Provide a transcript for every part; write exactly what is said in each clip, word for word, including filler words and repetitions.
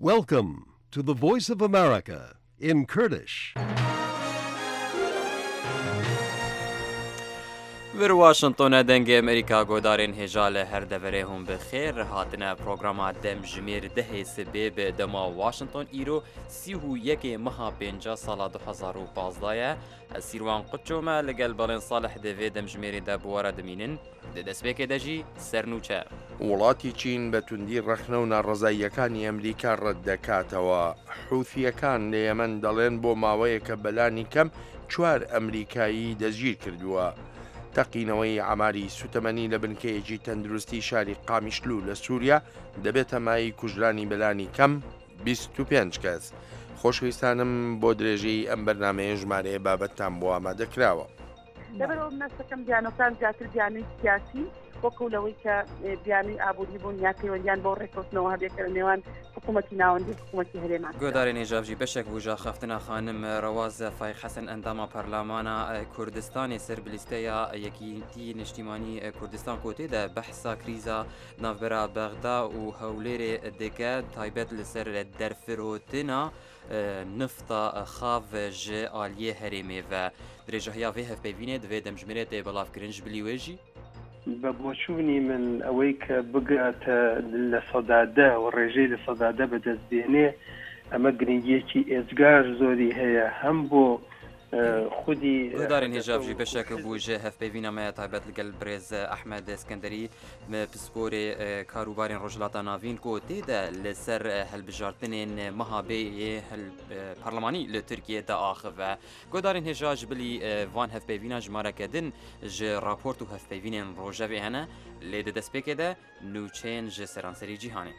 Welcome to the Voice of America in Kurdish. Vir Washingtona dengê Amerîka guhdarên hêja li her deverê hûn bi xêr hatine programa demjimêr dehê sibê bi dema Washington îro sî û yekê meha pênca sala du hezar û pazdeh ye. Ez Sîrwan Quço me li gel Balên Salih di vê demjimêrê de bi we re dimînin. Di destpêkê de jî sernûçe. وڵاتی چین بە توندی ڕەخنە و ناڕەزاییەکانی ئەمریکا ڕەت دەکاتەوە. حوثیەکان لە یەمەن دەڵێن بۆ ماوەیەکە بەلانی کەم چوار ئەمریکایی دەستگیر کردووە. تەقینەوەی ئاماری سوتەمەنی لە بنکەیەکی تەندروستی شاری قامیشلو لە سووریا دەبێتە مایەی کوژرانی بەلانی کەم بیست و پێنج کەس. خۆشەویستانم بۆ درێژەی ئەم بەرنمەیە ژمارەیە بابەتتان بۆ ئامادە کراوە. لەبەرەوە منەستەکەم بیانۆکان زیاتر بیانووی سیاسی وەکو لەوەی کە بیانووی ئابووری بوون یا پەیوەندیان بۆ ڕێککەوتنەوە هەبێت کە لە نێوان حکوومەتی ناوەندی حکوومەتی هەرێمان. گۆدارێن هێژاڤژی بەشێک بوو خەفتنا خانم ڕەواز فایق حەسەن ئەنداما پەرلەمانە کوردستانی سەر بلیستەیە یەکیتی نیشتیمانی کوردستان کۆتێدا بەحسا کریزا ناوبەرا بەغدا و هەولێرێ دکە تایبەت لەسەر دەرفرۆتنا نفتا خاو ji aliyê herêmê ve. Dirêjahiya vê hevpeyvînê divê demjimêrê tê belavkirin ji bilî wê jî. بە بۆچوونی من ئەوەی کە بگاتە لە سەدادا و ڕێژەی لە سەدادا بەدەست بێنێ ئەمە گرنگیەکی ئێجگار زۆری هەیە هەم بۆ خودی گۆدارên hêjav jî beşek bû ji hevpeyvîna me ya taybet li gel birêz Ehmed Eskenderî pisporê karûbarên Rojhilata Navîn ku tê de li ser hilbijartinên meha bê yê parlemanî li Tirkiyê de axive. Guhdarên hêja ji bilî van hevpeyvîna jimareke din ji raport û hevpeyvînên rojevê hene lê di destpêkê de nûçeyên ji seranserî cîhanê.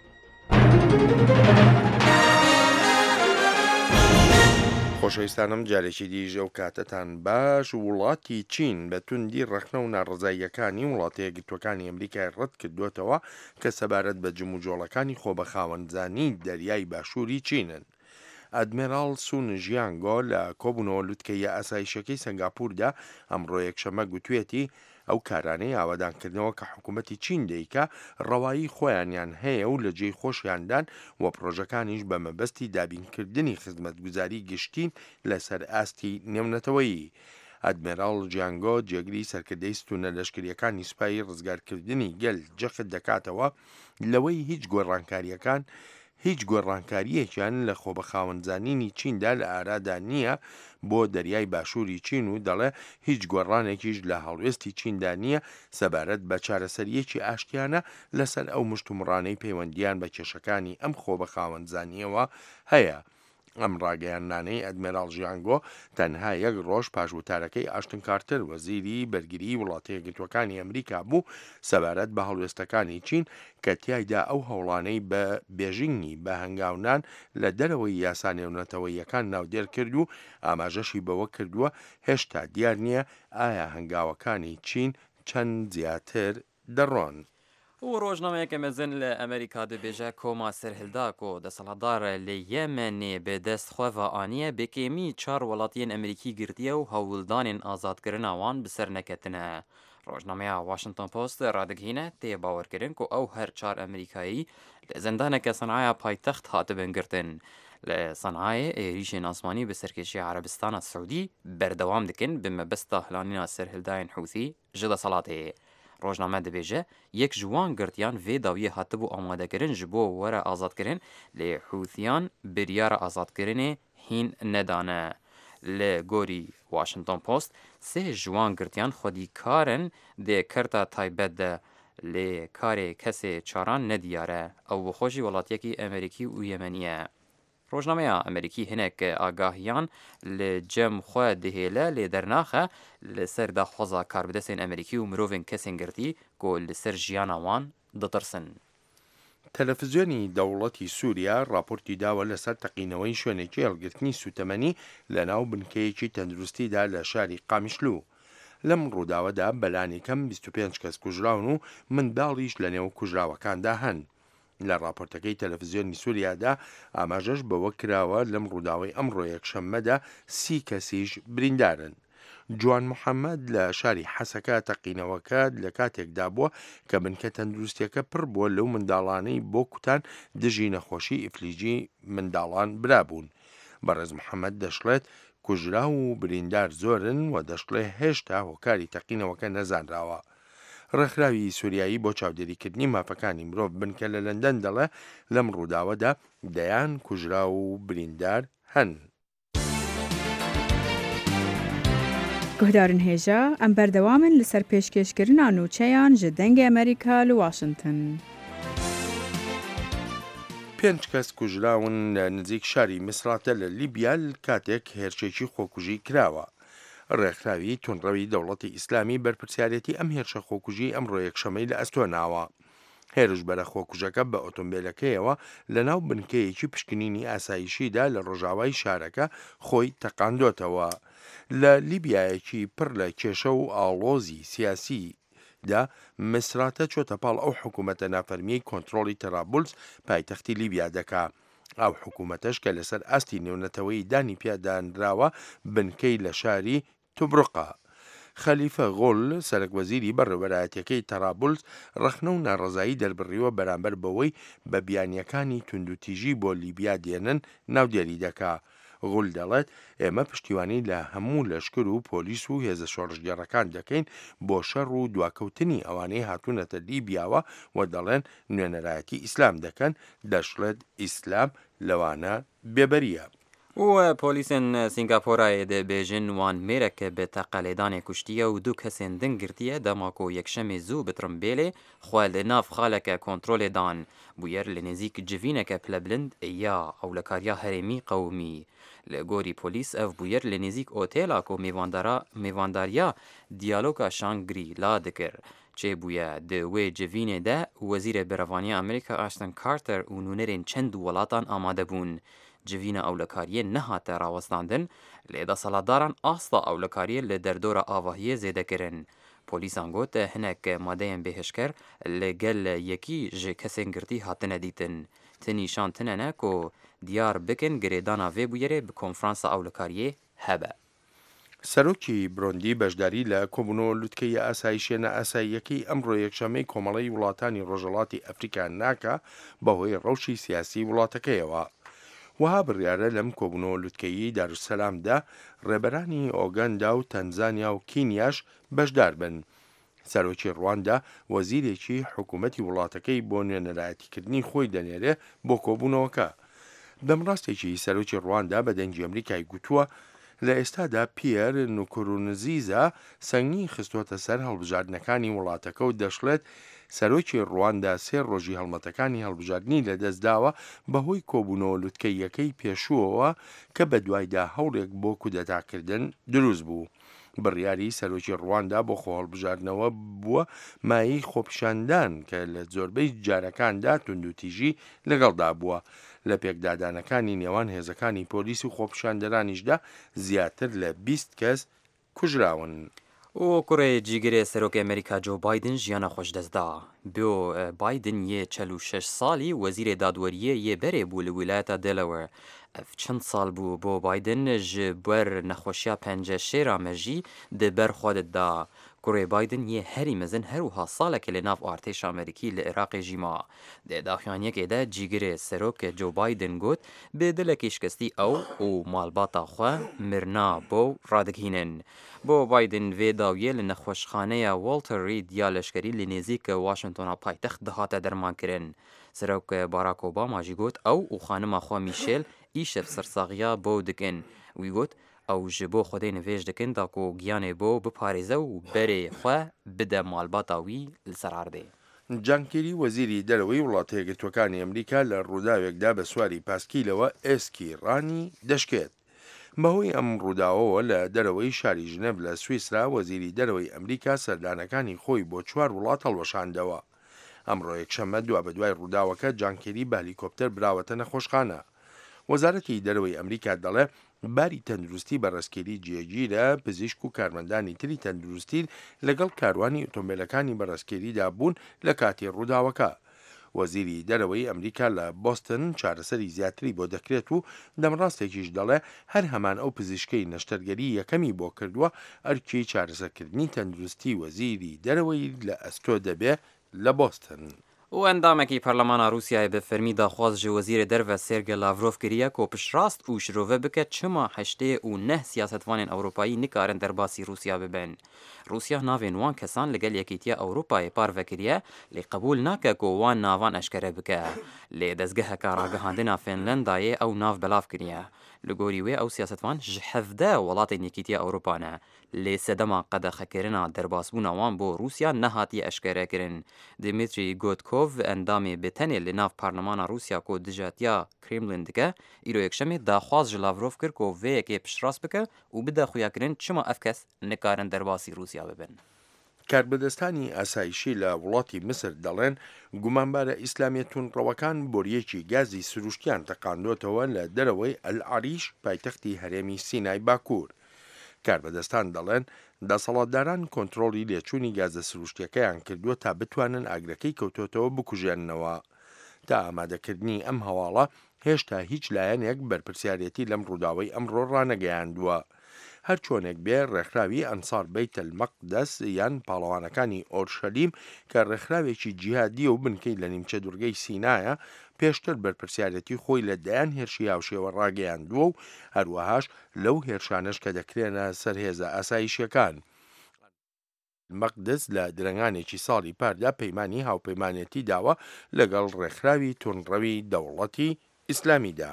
خۆشەویستانم جارێکی دیژ ئەو کاتەتان باش. وڵاتی چین بە توندی ڕەخنە و ناڕەزاییەکانی وڵاتە یەکگرتووەکانی ئەمریکای ڕەت کردوێتەوە کە سەبارەت بە جموجۆڵەکانی خۆبەخاوەنزانی دەریای باشووری چینن. ئەدمیراڵ سون ژیانگۆ لە کۆبوونەوە لوتکەیە ئاسایشەکەی سنگاپوردا ئەمڕۆ یەکشەممە گوتوێتی ئەو کارانەی ئاوادانکردنەوە کە حکوومەتی چین دەیکا ڕەوایی خۆیانیان هەیە و لە جێی خۆشیاندان و پرۆژەکانیش بە مەبەستی دابینکردنی خزمەتگوزاری گشتین لەسەر ئاستی نێونەتەوەیی. ئەدمیراڵ جیانگۆ جێگری سەرکردەی ستونە لەشکریەکانی سوپای ڕزگارکردنی گەل جەخت دەکاتەوە لەوەی هیچ گۆڕانکاریەکان هیچ گۆڕانکاریەکیان لە خۆبەخاوەنزانینی چیندا لە ئارادا نییە بۆ دەریای باشووری چین و دەڵێ هیچ گۆڕانێکیش لە هەڵوێستی چیندا نییە سەبارەت بە چارەسەریەکی ئاشتیانە لەسەر ئەو مشتومڕانەی پەیوەندیان بە کێشەکانی ئەم خۆبەخاوەنزانیەوە هەیە. ئەم ڕاگەیاندنانەی ئەدمیراڵ ژیانگۆ تەنها یەک ڕۆژ پاش وتارەکەی ئاشتن کارتەر وەزیری بەرگری وڵاتە یەکگرتووەکانی ئەمریکا بوو سەبارەت بە هەڵوێستەکانی چین کە تیایدا ئەو هەوڵانەی بە بێژینگی بە هەنگاونان لە دەرەوەی یاسا نێونەتەوەیەکان ناودێر کرد و ئاماژەشی بەوە کردووە هێشتا دیار نییە ئایا هەنگاوەکانی چین چەند زیاتر دەڕۆن. و ڕۆژنامەیەکە مەزن لە ئەمریکا دەبێژە کۆما سەرهلدا کۆ دەسەڵاتدار لە یەمەنێ بەدەست خۆڤە ئانیە بەکێمی چوار وڵاتیên ئەمریکی گرتیە و هەوڵدانên ئازادکردنا wan bi ser neketine. ڕۆژنامەیە واشنگتۆن پۆست ڕادگهینە tê bawerkirin ku ew her çar Amerîkayî li zindaneke Sanaya paytext hatibin girtin. Li Sanayê êrîşên asmanî bi serkêşiya Erebistana Siûdî berdewam dikin bi mebesta hilanîna serhildayên Hûsî ji deselatê. Rojname dibêje yek ji wan girtiyan vê dawiyê hatibû amadekirin ji bo were azadkirin lê Hûsiyan biryara azadkirinê hîn nedane. Li gorî Washington Post sê ji wan girtiyan xwedîkar in dê kerta taybet de lê karê kesê çaran nediyar e. Ew bi xwe jî welatiyekî Amerîkî û Yemenî ye. Rojnameya Amerîkî hinek agahiyan li cem xwe dihêle lê dernaxe li ser daxwaza karbidestên Amerîkî û mirovên kesên girtî ku li ser jiyana wan ditirsin. تەلەڤیزیۆنی دەوڵەتی سووریا راپۆرتی داوە لەسەر تەقینەوەی شوێنێکی هەڵگرتنی سوتەمەنی لە ناو بنکەیەکی تەندروستیدا لە شاری قامیشلو. لەم ڕووداوەدا بەلانی کەم بیست و پێنج کەس کوژراون و منداڵیش لە نێو کوژراوەکاندا هەن. لە راپۆرتەکەی تەلەڤیزیۆنی سووریادا ئاماژەش بەوە کراوە لەم ڕووداوەی ئەمڕۆ یەکشەممەدا سی کەسیش بریندارن. جوان محەممەد لە شاری حەسەکە تەقینەوەکە لە کاتێکدا بووە کە بنکە تەندروستیەکە پڕ بووە لەو منداڵانەی بۆ کوتان دژی نەخۆشی ئیفلیجی منداڵان برابوون. بەڕێز محەممەد دەشڵێت کوژراو و بریندار زۆرن و دەشڵێ هێشتا هۆکاری تەقینەوەکە نەزانراوە. ڕێکخراوی سووریایی بۆ چاودێریکردنی مافەکانی مرۆڤ بنکە لە لەندەن دەڵێ لەم ڕووداوەدا دەیان کوژراو و بریندار هەن. Guhdarên hêja em berdewam in li ser pêşkêşkirina nûçeyan ji Dengê Amerîka li Washington. پێنج کەس کوژراون لە نزیک شاری میسراتە لە لیبیا کاتێک هێرشێکی خۆکوژی کراوە. ڕێکخراوی توندڕەوی دەوڵەتی ئیسلامی بەرپرسیارێتی ئەم هێرشە خۆکوژی ئەمڕۆ یەکشەمەی لە ئەستۆ ناوە. هێرشبەرە خۆکوژەکە بە ئۆتۆمبیلەکەیەوە لەناو بنکەیەکی پشکنینی ئاسایشیدا لە ڕۆژاوای شارەکە خۆی تەقاندۆتەوە. لە لیبیایەکی پڕ لە کێشە و ئاڵۆزی سیاسی دا میسراتە چۆتە پاڵ ئەو حکوومەتە نافەرمیەی کۆنترۆڵی تەرابولس پایتەختی لیبیا دەکا. ئەو حکوومەتەش کە لەسەر ئاستی نێونەتەوەی دانی پیادانراوە بنکەی لە شاری توبرقە. خەلیفە غۆل سەرەک وەزیری بەڕێوەبەرایەتیەکەی تەرابولس ڕەخنە و ناڕەزایی دەربڕیوە بەرامبەر بەوەی بە بیانیەکانی توندوتیژی بۆ لیبیا دێنن ناودێری دەکا. غول دەڵێت ئێمە پشتیوانی لە هەموو لەشکر و پۆلیس و هێزە شۆڕشگێڕەکان دەکەین بۆ شەڕ و دواکەوتنی ئەوانەی هاتوونەتە لیبیاوە و دەڵێن نوێنەرایەتی ئیسلام دەکەن، دەشڵێت ئیسلام لەوانە بێبەریە. و پۆلیسên Sîngapûrayê dibêjin wan mêrek bi teqelêdanê kuştiye û du kesên din girtiye dema ku yekşemê zû bi tirimbêlê xwe li nav xaleke kontrolê dan. Bûyer li nêzîk civîneke pilebilind ya ewlekariya herêmî qewimî. Li gorî polîs ev bûyer li nêzîk otêla ku mêvandariya diyaloga Shangri-La dikir. Çêbûye di wê civînê de Wezîrê Berevaniya Amerîka Ashton Carter û nûnerên çend welatan amade bûn. Civîna ewlekariyê nehate rawestandin, lê desthilatdaran asta ewlekariyê li derdora avahiyê zêde kirin. Polîsan got hinek madeyên bêhişker li gel yekî ji kesên girtî hatine dîtin. Ti nîşan tune ne ku diyar bikin girêdana vê bûyerê bi konferansa ewlekariyê hebe. سەرۆکی برۆندی بەشداری لە کۆبوونەوە لوتکەی ئاسایشیە نائاساییەکەی ئەمڕۆ یەکشەمەی کۆمەڵەی وڵاتانی ڕۆژهەڵاتی ئەفریکا ناکا بەهۆی ڕەوشی سیاسی وڵاتەکەیەوە. وها بڕیارە لەم کۆبوونەوە لوتکەیی دارولسەلامدا ڕێبەرانی ئۆگەندا و تەنزانیا و کینیاش بەشدار بن. سەرۆکی ڕواندا وەزیرێکی حکوومەتی وڵاتەکەی بۆ نوێنەرایەتیکردنی خۆی دەنێرێ بۆ کۆبوونەوەکە. دەمڕاستێکی سەرۆکی ڕواندا بە دەنگی ئەمریکای گوتووە لە ئێستادا پیەر نوکورونزیزا سەنگی خستۆتە سەر هەڵبژاردنەکانی وڵاتەکە و دەشڵێت سەرۆکی ڕواندا سێ ڕۆژی هەڵمەتەکانی هەڵبژاردنی لەدەستداوە بەهۆی کۆبوونەوە لوتکەیەکەی پێشووەوە کە بەدوایدا هەوڵێک بۆ کودەتاکردن دروست بوو. بڕیاری سەرۆکی ڕواندا بۆ خۆهەڵبژاردنەوە بووە مایەی خۆپیشاندان کە لە زۆربەی جارەکاندا توندوتیژی لەگەڵدا بووە. لە پێکدادانەکانی نێوان هێزەکانی پۆلیس و خۆپیشاندەرانیشدا زیاتر لە بیست کەس کوژراون. و کوڕێ جیگرێ سەرۆکی ئەمریکا جۆ بایدن ژیانە خۆش دەستدا. بۆ بایدن یê چل و شەش ساڵی وەزیرê dadweriyê yê berê bû li wîlayeta Delaware. Ev çend sal bû bo Biden ji ber nexweşiya penceşêra mejî di ber xwe dida. Kurê Biden yê herî mezin her wiha salekê li nav artêşa Amerîkî li Iraqê jî ma. Di daxuyaniyekê de cîgirê serok Joe Biden got bi dilekî şikestî ew û malbata xwe mirina bo radigihînin. Bo Biden vê dawiyê li nexweşxaneya Walter Reed ya leşkerî li nêzîk Washingtona paytext dihate dermankirin. Serok Barack Obama jî got ew û xanima xwe Michelle îşev sersaxiya bo dikin. Wî got ew ji bo Xwedê nivêj dikin da ku giyanê bo biparêze û berê xwe bide malbata wî li ser erdê. جان کێری وەزیری دەرەوەی وڵاتە یەکگرتووەکانی ئەمریکا لە ڕووداوێکدا بە سواری پاسکیلەوە ئێسکی ڕانی دەشکێت. بەهۆی ئەم ڕووداوەوە لە دەرەوەی شاری ژنێڤ لە سویسرا وەزیری دەرەوەی ئەمریکا سەردانەکانی خۆی بۆ چوار وڵات هەڵوەشاندەوە. ئەمڕۆ یەکشەممە دوابەدوای ڕووداوەکە جان کێری بە هەلیکۆپتەر براوەتە نەخۆشخانە. وەزارەتی دەرەوەی ئەمریکا دەڵێ باری تەندروستی بەڕێزکێری جێگیرە، پزیشک و کارمەندانی تری تەندروستی لەگەڵ کاروانی ئۆتۆمبیلەکانی بەڕێزکێریدا بوون لە کاتی ڕووداوەکە. وەزیری دەرەوەی ئەمریکا لە بۆستن چارەسەری زیاتری بۆ دەکرێت و دەمڕاستێکیش دەڵێ هەر هەمان ئەو پزیشکەی نەشتەرگەری یەکەمی بۆ کردووە ئەرکی چارەسەرکردنی تەندروستی وەزیری دەرەوەی لە ئەستۆ دەبێ لە بۆستن. و ئەندامێکی پەرلەمانا رووسیای بە فەرمی داخواز ji وەزیرê derve Sergey Lavrov kiriye ku piştrast û şirove bike çima heştê û neh siyasetvanên Ewropayî nikarin derbasî Rûsya bibin. Rûsya navên wan kesan li gel Yekîtiya Ewropayê parve kiriye lê qebûl nake ku wan navan eşkere bike. Lê dezgeheka ragihandina Finlandayê ew nav belav kiriye. Li gorî wê ew siyasetvan ji hevdeh welatên Yekîtiya Ewropa ne. Lê sedema qedexekirina derbasbûna wan bo Rûsya nehatiye eşkerekirin. Dmitri Gudkov endamê bi tenê li nav Parlemana Rûsya ku dijatiya Kremlin dike, îro yekşemê daxwaz ji Lavrov kir ku vê yekê piştrast bike û bide xuyakirin çima ev kes nikarin derbasî Rûsya bibin. کاربەدەستانی ئاسایشی لە وڵاتی میسر دەڵێن گومانبارە ئیسلامیە توندڕەوەکان بۆریەکی گازی سروشتیان تەقاندۆتەوە لە دەرەوەی ئەلعەریش پایتەختی هەرێمی سینای باکوور. کاربەدەستان دەڵێن دەسەڵاتداران کۆنترۆڵی لێچوونی گازە سروشتیەکەیان کردووە تا بتوانن ئاگرەکەی کەوتۆتەوە بکوژێننەوە. تا ئامادەکردنی ئەم هەواڵە هێشتا هیچ لایەنێک بەرپرسیارێتی لەم ڕووداوەی ئەمڕۆ ڕانەگەیاندووە. هەرچۆنێک بێ ڕێکخراوی ئەنسار بەیت المەقدس یان پاڵەوانەکانی ئۆرشەلیم کە ڕێکخراوێکی جیهادیە و بنکەی لە نیمچە دوورگەی سینایە پێشتر بەرپرسیارەتی خۆی لە دەیان هێرشی هاوشێوە ڕاگەیاندووە و هەروەهاش لەو هێرشانەش کە دەکرێنە سەر هێزە ئاسایشیەکان. مەقدس لە درەنگانێکی ساڵی پاردا پەیمانی هاوپەیمانێتی داوە لەگەڵ ڕێکخراوی توندڕەوی دەوڵەتی ئیسلامیدا.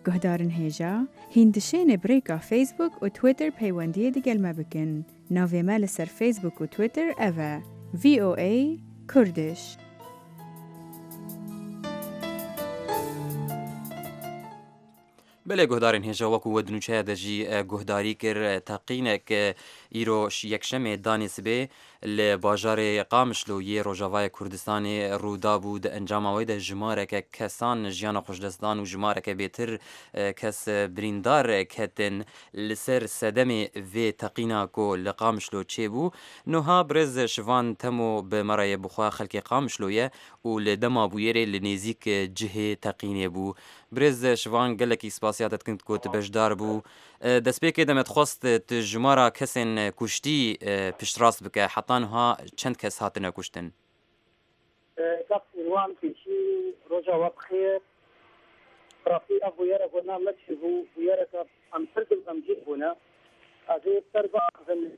Guhdarên hêja, hîn dişêne bi rêka Facebook û Twitter peywendiyê digel me bikin. Navê me li ser Facebook û Twitter ev e: V O A Kurdish. Belê guhdarên hêja wekû we di nûçeya de jî guhdarî kir teqînek îro yekşemê danê sibê li bajarê Qamişlo yê Rojavayê Kurdistanê rûda bû di encama wê de jimareke kesan jiyana xwe ji dest dan û jimareke bêtir kes birîndar ketin li ser sedemê vê teqîna ku li Qamişlo çêbû. Niha birêz Şivan Temo bi me re yê bi xwe xelkê Qamişlo ye û li dema bûyerê li nêzîk cihê teqînê bû. Birêz Şivan gelekî spasiya te dikin ku tu beşdar bû. Destpêkê de me dixwest tu jimara kesên kuştî piştrast bike heta niha çend kes hatine kuştin؟ Kak Sîrwan pêşî roja we bixêr. Rastî ev bûyerek wina me çêbû, bûyereke em pir dilxemgîn bûne. Ez ê ser biaxivim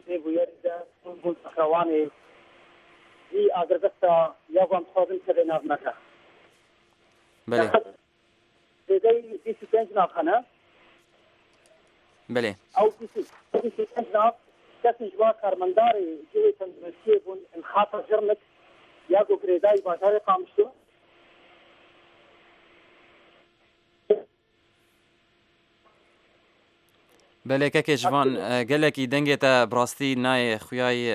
vê bûyerê de bûn pehrewanê vî agirbesta ya ku em dixwazin keve nav me de. Belê. Zêdeyî bîst û pênc nav hene. Belê. Ew bîst û pênc nav kesên ji wan karmendarê cihê tenduristiyê bûn li xata Cirnik ya ku girêdayî bajarê Qamişlo. Belê kekê ji van gelekî dengê te bi rastî nayê xuyayê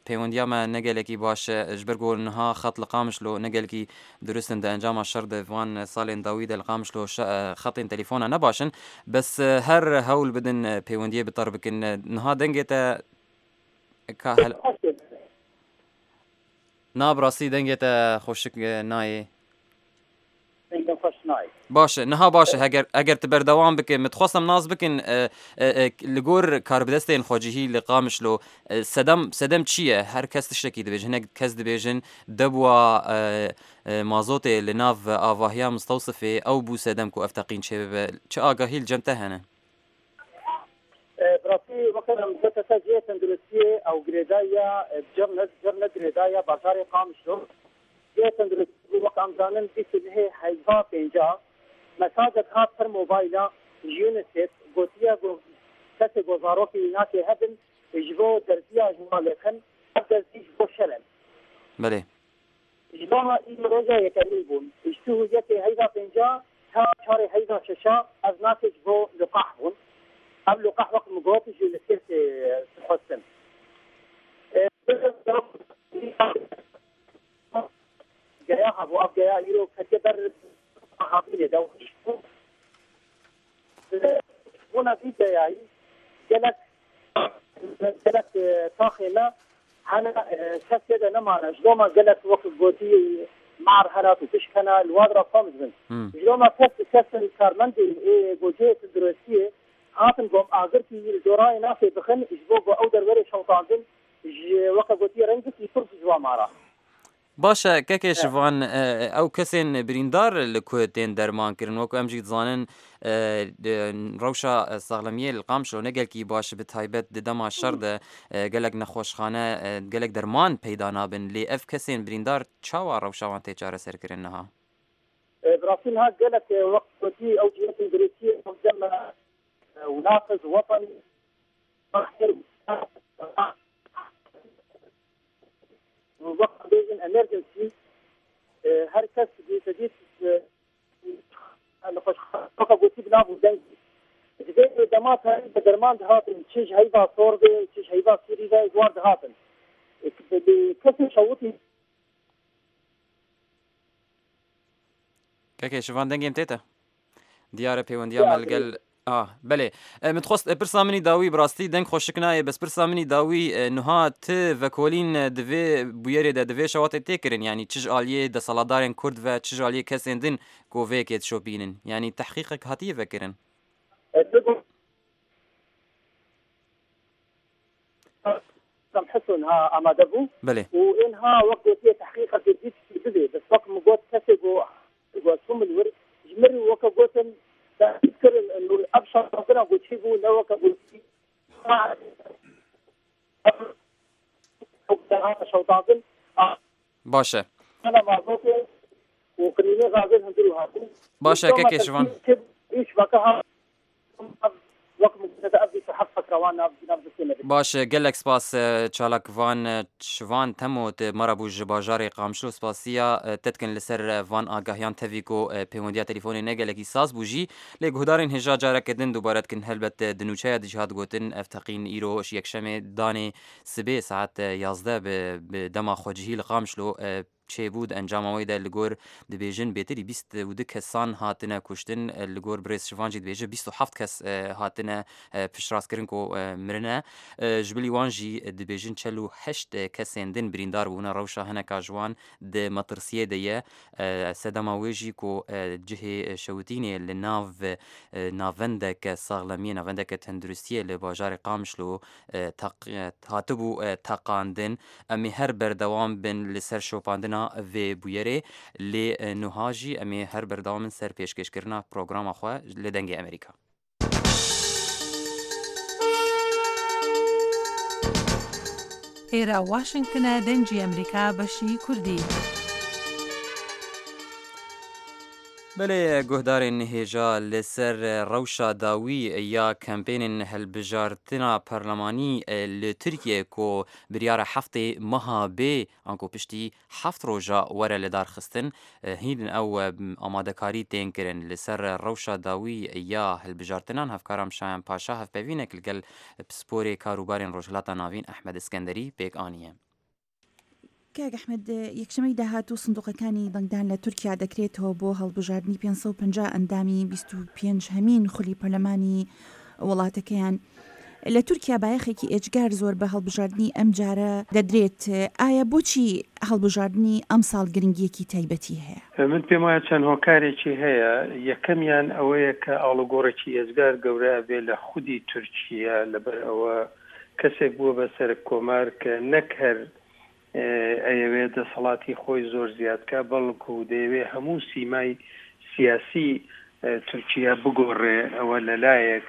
peywendiya me ne gelekî baş e ji ber ku niha xet li Qamişlo ne gelekî dirust in di encama şer de van salên dawî de li Qamişlo xetên telefona ne baş in bes her hewl bidin peywendiyê bi ter bikin. Niha dengê te ka hel Na bi rastî dengê te xweşik nayê. Baş e, niha baş e heger eger tu berdewam bike min dixwestim nas bikin li gor karbidestên xwecihî li Qamişlo sedem sedem çi ye? Her kes tiştekî dibêjin, hinek kes dibêjin debûa mazotê li nav avahiya Mistewsifê ew bû sedem ku ev teqîn çêbibe. Çi agahî li cem te hene? Bi rastî weke em gote te cihê tenduristiyê ew girêdaya Cirnet, Cirnet girêdaya bajarê Qamişlo. Cihê tenduristiyê wek em zanin bîst û nehê heyva pênca mesajek hat ser mobayla ji UNICEF gotiye ku kesê ku zarokê wî hebin ji bo derziya ji wan lêxin ev derzî ji bo şer in. Belê. Ji bo îro roja yekemîn bûn. Ji tu yekê heyva pênca ta çarê heyva şeşa ev nasê ji bo liqah bûn. Ev liqah wek min got ji UNICEFê dixwestin. Geya hebû ev geya îro ketiye ber havînê de bona vî geyayî gelek gelek taxê me hene kes tê de nemane ji loma gelek wek gotî mar hene û tişk hene li wan re kom dibin. Ji loma kes kesên karmendê ê gocê tenduristiyê hatin gom agirkî li dorayê nafê bixin ji bo ku ew derwerê şewtandin ji weke gotî rengekî pir ji wan mara. Baş e kekê Şivan ew kesên birîndar li ku tên dermankirin wek em jî dizanin rewşa saxlemiyê li Qamişlo ne gelekî baş bi taybet di dema şer de gelek nexweşxane gelek derman peyda nabin lê ev kesên birîndar çawa rewşa wan tê çareserkirin niha? Bi rastî niha gelek wek gotî ew cihê tenduristiyê ew dem وناقص وطني وقت بيجن امرجنسي هر کس دي تديت نخش قلت بناب ودنج دي دمات هاي بدرمان هاتن تشج هيبا صوربي تشج هيبا سوري ده زوار هاتن كسر شوطي كاكي شوفان دنجيم تيتا دیارە پەیوەندیان لەگەل آه بله من تخواست پرسا منی داوی براستی دەنگ خۆشک نایە بەس پرسا منی داوی نها ت ڤکۆلین divê bûyerê de divê şewatê tê kirin yanî çi ji aliyê deselatdarên Kurd ve çi ji aliyê kesên din ku vê yekê dişopînin yanî tehqîqek hatiye vekirin. حسن ها ئامادە بوو بله و ئینها وەک گوتیە تحقیقەکە دیت ببێ بەس وەک من گوت کەسێک گوتم الور ژمر وەکە گوتن تذكر انه ابشر ربنا قلت لو قلت باشە انا معروفه وقريني غازل هندرو هاتو باشە کەکێ شوان ايش بقى باشە gelek spas çalakvan şivan temo te mara bû ji bajarê Qamişlo spasiya te dikin li ser van agahiyan tevî ku pêwendiya telefонê ne gelekî saz bû jî lê guhdarên hêja careke din dubare dikin helbet di nûçeya dijî hat gotin ev teqîn îro ji yekşemê danê sibê saet yazdeh bi dema xwecihî li Qamişlo çêbû di encama wê de li gor dibêjin bêtirî bîst û du kesan hatine kuştin li gor birêz Şivan jî dibêje bîst û heft kes hatine piştrastkirin ku mirine ji bilî wan jî dibêjin çel û heşt kesên din birîndar bûne rewşa hineka ji wan di metirsiyê de ye sedema wê jî ku cihê şewitînê li nav navendeke saxlemiyê navendeke tenduristiyê li bajarê Qamişlo hatibû teqandin em ê her berdewam bin li ser şopandina vê bûyerê lê niha jî em ê her berdewam in ser pêşkêşkirina programa xwe li Dengê Amerîka. ئێرە واشنگتنە دەنگی ئەمریکا بەشی کوردی. بەێ guhdarên hêja li ser rewşa dawî ya kempênên hilbijartina perlemanî li Tirkiye ku biryara heftê meha bê anku piştî heft roja were lidarxistin hîn ew amadekarî tên kirin li ser rewşa dawî ya hilbijartinan hevkaram Şayan Paşa hevpevînek li gel pisporê karûbarên Rojhilata Navîn Ehmed Iskenderî pêk aniye. کاک ئەحمەد یەکشەمەی داهاتوو سندوقەکانی دەنگدان لە تورکیا دەکرێتەوە بۆ هەڵبژاردنی پێنج سەد و پەنجا ئەندامی بیست و پێنج هەمین خولی پەرلەمانی وڵاتەکەیان. لە تورکیا بایەخێکی ئێجگار زۆر بە هەڵبژاردنی ئەم جارە دەدرێت. ئایا بۆچی هەڵبژاردنی ئەمساڵ گرنگیەکی تایبەتی هەیە؟ من پێم وایە چەند هۆکارێکی هەیە. یەکەمیان ئەوەیە کە ئاڵوگۆڕێکی ئێجگار گەورە بێ لە خودی تورکیا، لەبەر ئەوە کەسێک بووە بە سەرک کۆمار کە نەک هەر ئەیەوێت دەسەڵاتی خۆی زۆر زیادکە، بەڵکو دەیەوێت هەموو سیمای سیاسی تورکیا بگۆڕێ. ئەوە لەلایەک،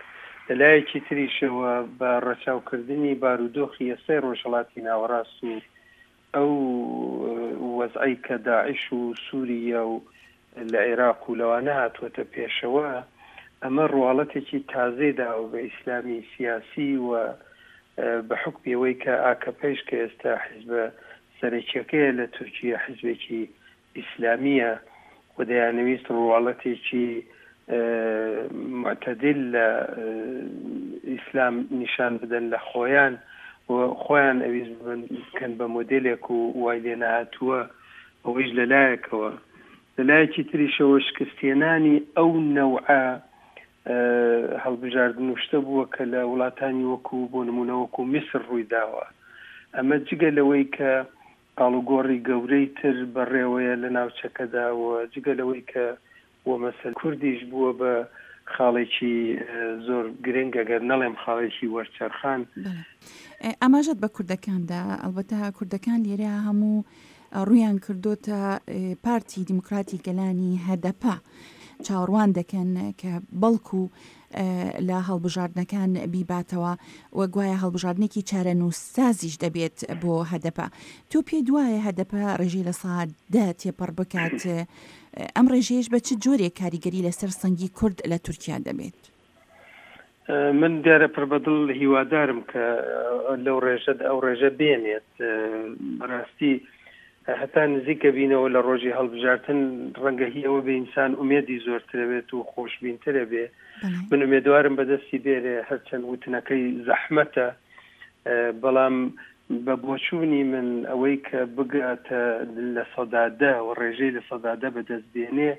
لەلایەکی تریشەوە بە ڕەچاوکردنی بارودۆخی ئێستای ڕۆژهەڵاتی ناوەڕاست و ئەو وەزعی کە داعش و سووریا و لە عێراق و لەوانە هاتووەتە پێشەوە، ئەمە ڕواڵەتێکی تازەی داوە بە ئیسلامی سیاسی و بە حوکمی ئەوەی کە ئاکەپەیش کە ئێستا حیزبە سەرەکیەکەیە لە تورکیا حیزبێکی ئیسلامیە و دەیانەویست ڕواڵەتێکی معتدل لە ئیسلام نیشان بدەن لە خۆیان و خۆیان ئەویست بکەن بە مۆدێلێک و وای لێ نەهاتووە. ئەوەیش لەلایەکەوە. لەلایەکی تریشەوە شکستێنانی ئەو نەوعە هەڵبژاردن و شتە بووە کە لە وڵاتانی وەکو بۆ نمونە وەکو میسر ڕووی داوە. ئەمە جگە لەوەی کە ئاڵوگۆڕی گەورەی تر بەڕێوەیە لە ناوچەکەدا و جگە لەوەی کە و مەسەل کوردیش بووە بە خاڵێکی زۆر گرنگ ئەگەر نەڵێم خاڵێکی وەرچەرخان. ئاماژەت بە کوردەکاندا، ئەلبەتە کوردەکان لێرە هەموو ڕوویان کردوتە پارتی دیموکراتی گەلانی هەدەپە، چاوەڕوان دەکەن کە بەڵکو لە هەڵبژاردنەکان بیباتەوە و گوایە هەڵبژاردنێکی چارەنووسسازیش دەبێت بۆ هەدەپە. تۆ پێ دوایە هەدەپە ڕێژەی لە سا دە تێپەڕ بکات، ئەم ڕێژەیەش بە چ جۆرێک کاریگەری لەسەر سەنگی کورد لە تورکیا دەبێت؟ من دیارە پڕ بەدڵ هیوادارم کە لەو ڕێژە ئەو ڕێژە بێنێت. بەڕاستی هەتا نزیکە بینەوە لە ڕۆژی هەڵبژارتن ڕەنگە هی ئەوە بێ ئینسان ئومێدی زۆرترەوێت و خۆشبینترە بێ. من ئومێدوارم بەدەستی بێرێ، هەرچەند وتنەکەی زەحمەتە، بەڵام بە بۆچوونی من ئەوەی کە بگاتە لە سەدا دە و ڕێژەی لە سەدا دە بەدەست بێنێ،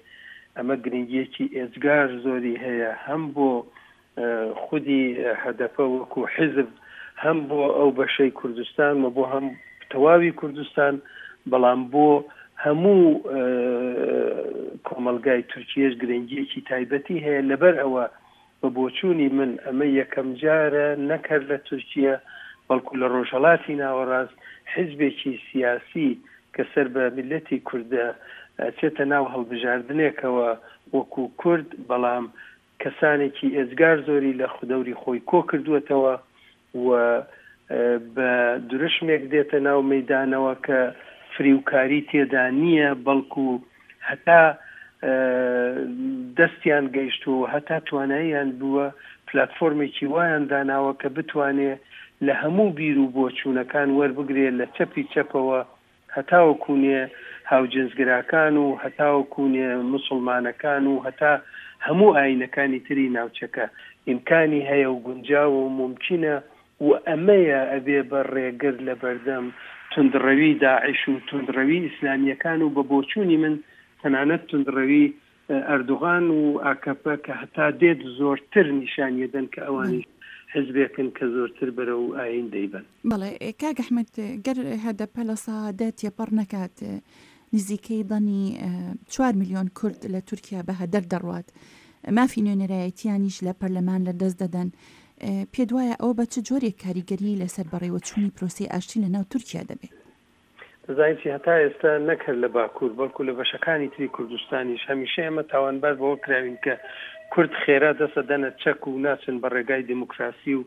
ئەمە گرنگیەکی ئێجگار زۆری هەیە، هەم بۆ خودی هەدەپە وەکو حیزب، هەم بۆ ئەو بەشەی کوردستان و بۆ هەم تەواوی کوردستان، بەڵام بۆ هەموو کۆمەلگای تورکیەش گرنگیەکی تایبەتی هەیە. لەبەر ئەوە بە بۆچوونی من ئەمە یەکەم جارە نەکرد لە تورکیا بەڵکو لە ڕۆژهەڵاتی ناوەڕاست حیزبێکی سیاسی کە سەر بە میللەتی کوردە چێتە ناو هەڵبژاردنێکەوە وەکو کورد، بەڵام کەسانێکی ئێجگار زۆری لە خودەوری خۆی کۆ کردووەتەوە و بە درشمێک دێتە ناو مەدانەوە کە فریوکاری تێدا نییە، بەڵکو هەتا دەستیان گەیشتووە، هەتا تواناییان بووە پلاتفۆرمێکی وایان داناوە کە بتوانێ لە هەموو بیر و بۆچوونەکان وەربگرێ، لە چەپی چەپەوە هەتاوەکوونێ هاوجنسگراکان و هەتاوەکوونێ مسلمانەکان و هەتا هەموو ئاینەکانی تری ناوچەکە. ئیمکانی هەیە و گونجاوە و ممکنە و ئەمەیە ئەبێ بە ڕێگر لە بەردەم توندڕەوی داعش و توندڕەوی ئیسلامیەکان و بە بۆچوونی من تەنانەت توندڕەوی ئەردوغان و ئاکەپە کە هەتا دێت زۆرتر نیشانیەدەن کە ئەوانیش حزبێکن کە زۆرتر بەرەو ئاین دەیبن. بەڵێ کاک ئەحمەد، گەر هەدەپە لە سا دە تێپەڕ نەکات، نزیکەی دەنی چوار ملیۆن کورد لە تورکیا بە هەدەر دەڕوات، مافی نوێنەرایەتیانیش لە پەرلەمان لە دەست دەدەن. پێ دوایە ئەوە بە چ جۆرێک کاریگەری لەسەر بەڕێوەچوونی پرۆسەی ئاشتی لە ناو تورکیا دەبێت؟ دەزانین چی، هەتا ئێستا نەکرد لە باکوور بەڵکو لە بەشەکانی تری کوردستانیش هەمیشە ئێمە تاوانبار بەوە کراوین کە کورد خێرا دەسە دەنە چەک و ناچن بە ڕێگای دیموکراسی و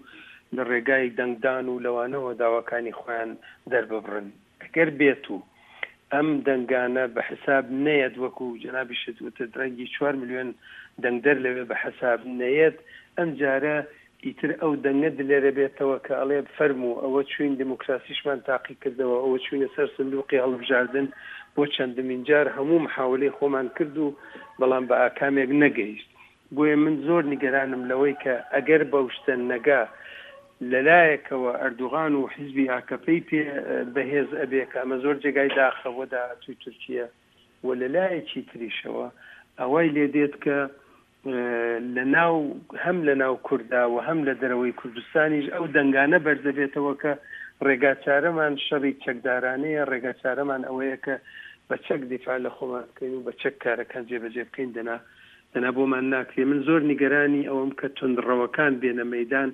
لە ڕێگای دەنگدان و لەوانەوە داواکانی خۆیان دەرببڕن. ئەگەر بێت و ئەم دەنگانە بە حساب نەیەت، وەکو جەنابیشت وتت ڕەنگی چوار ملیۆن دەنگدەر لەوێ بە حساب نەیەت، ئەم جارە ئیتر ئەو دەنگە دلێرە بێتەوە کە ئەڵێ فەرموو ئەوە چوین دیموکراسیشمان تاقی کردەوە، ئەوە چوینە سەر سندوقی هەڵبژاردن بۆ چەندمین جار هەموو محاولەی خۆمان کرد و بەڵام بە ئاکامێک نەگەیشت. بۆیە من زۆر نیگەرانم لەوەی کە ئەگەر بەو شتە نەگا، لەلایەکەوە ئەردوغان و حیزبی ئاکەپەی پێ بەهێز ئەبێ کە ئەمە زۆر جێگای داخە بۆ داهاتووی تورکیا، و لەلایەکی تریشەوە ئەوەی لێدێت کە لە ناو هەم لە ناو کووردا و هەم لە دەرەوەی کوردستانیش ئەو دەنگانە بەرزەبێتەوە کە ڕێگاچارەمان شەڕی چەکدارانەیە، ڕێگاچارەمان ئەوەیە کە بە چەک دیفاع لە خۆمان بکەین و بە چەک کارەکان جێبەجێ بکەین، دەنا دەنا بۆمان ناکرێ. من زۆر نیگەرانی ئەوەم کە توندڕەوەکان بێنە مەدان،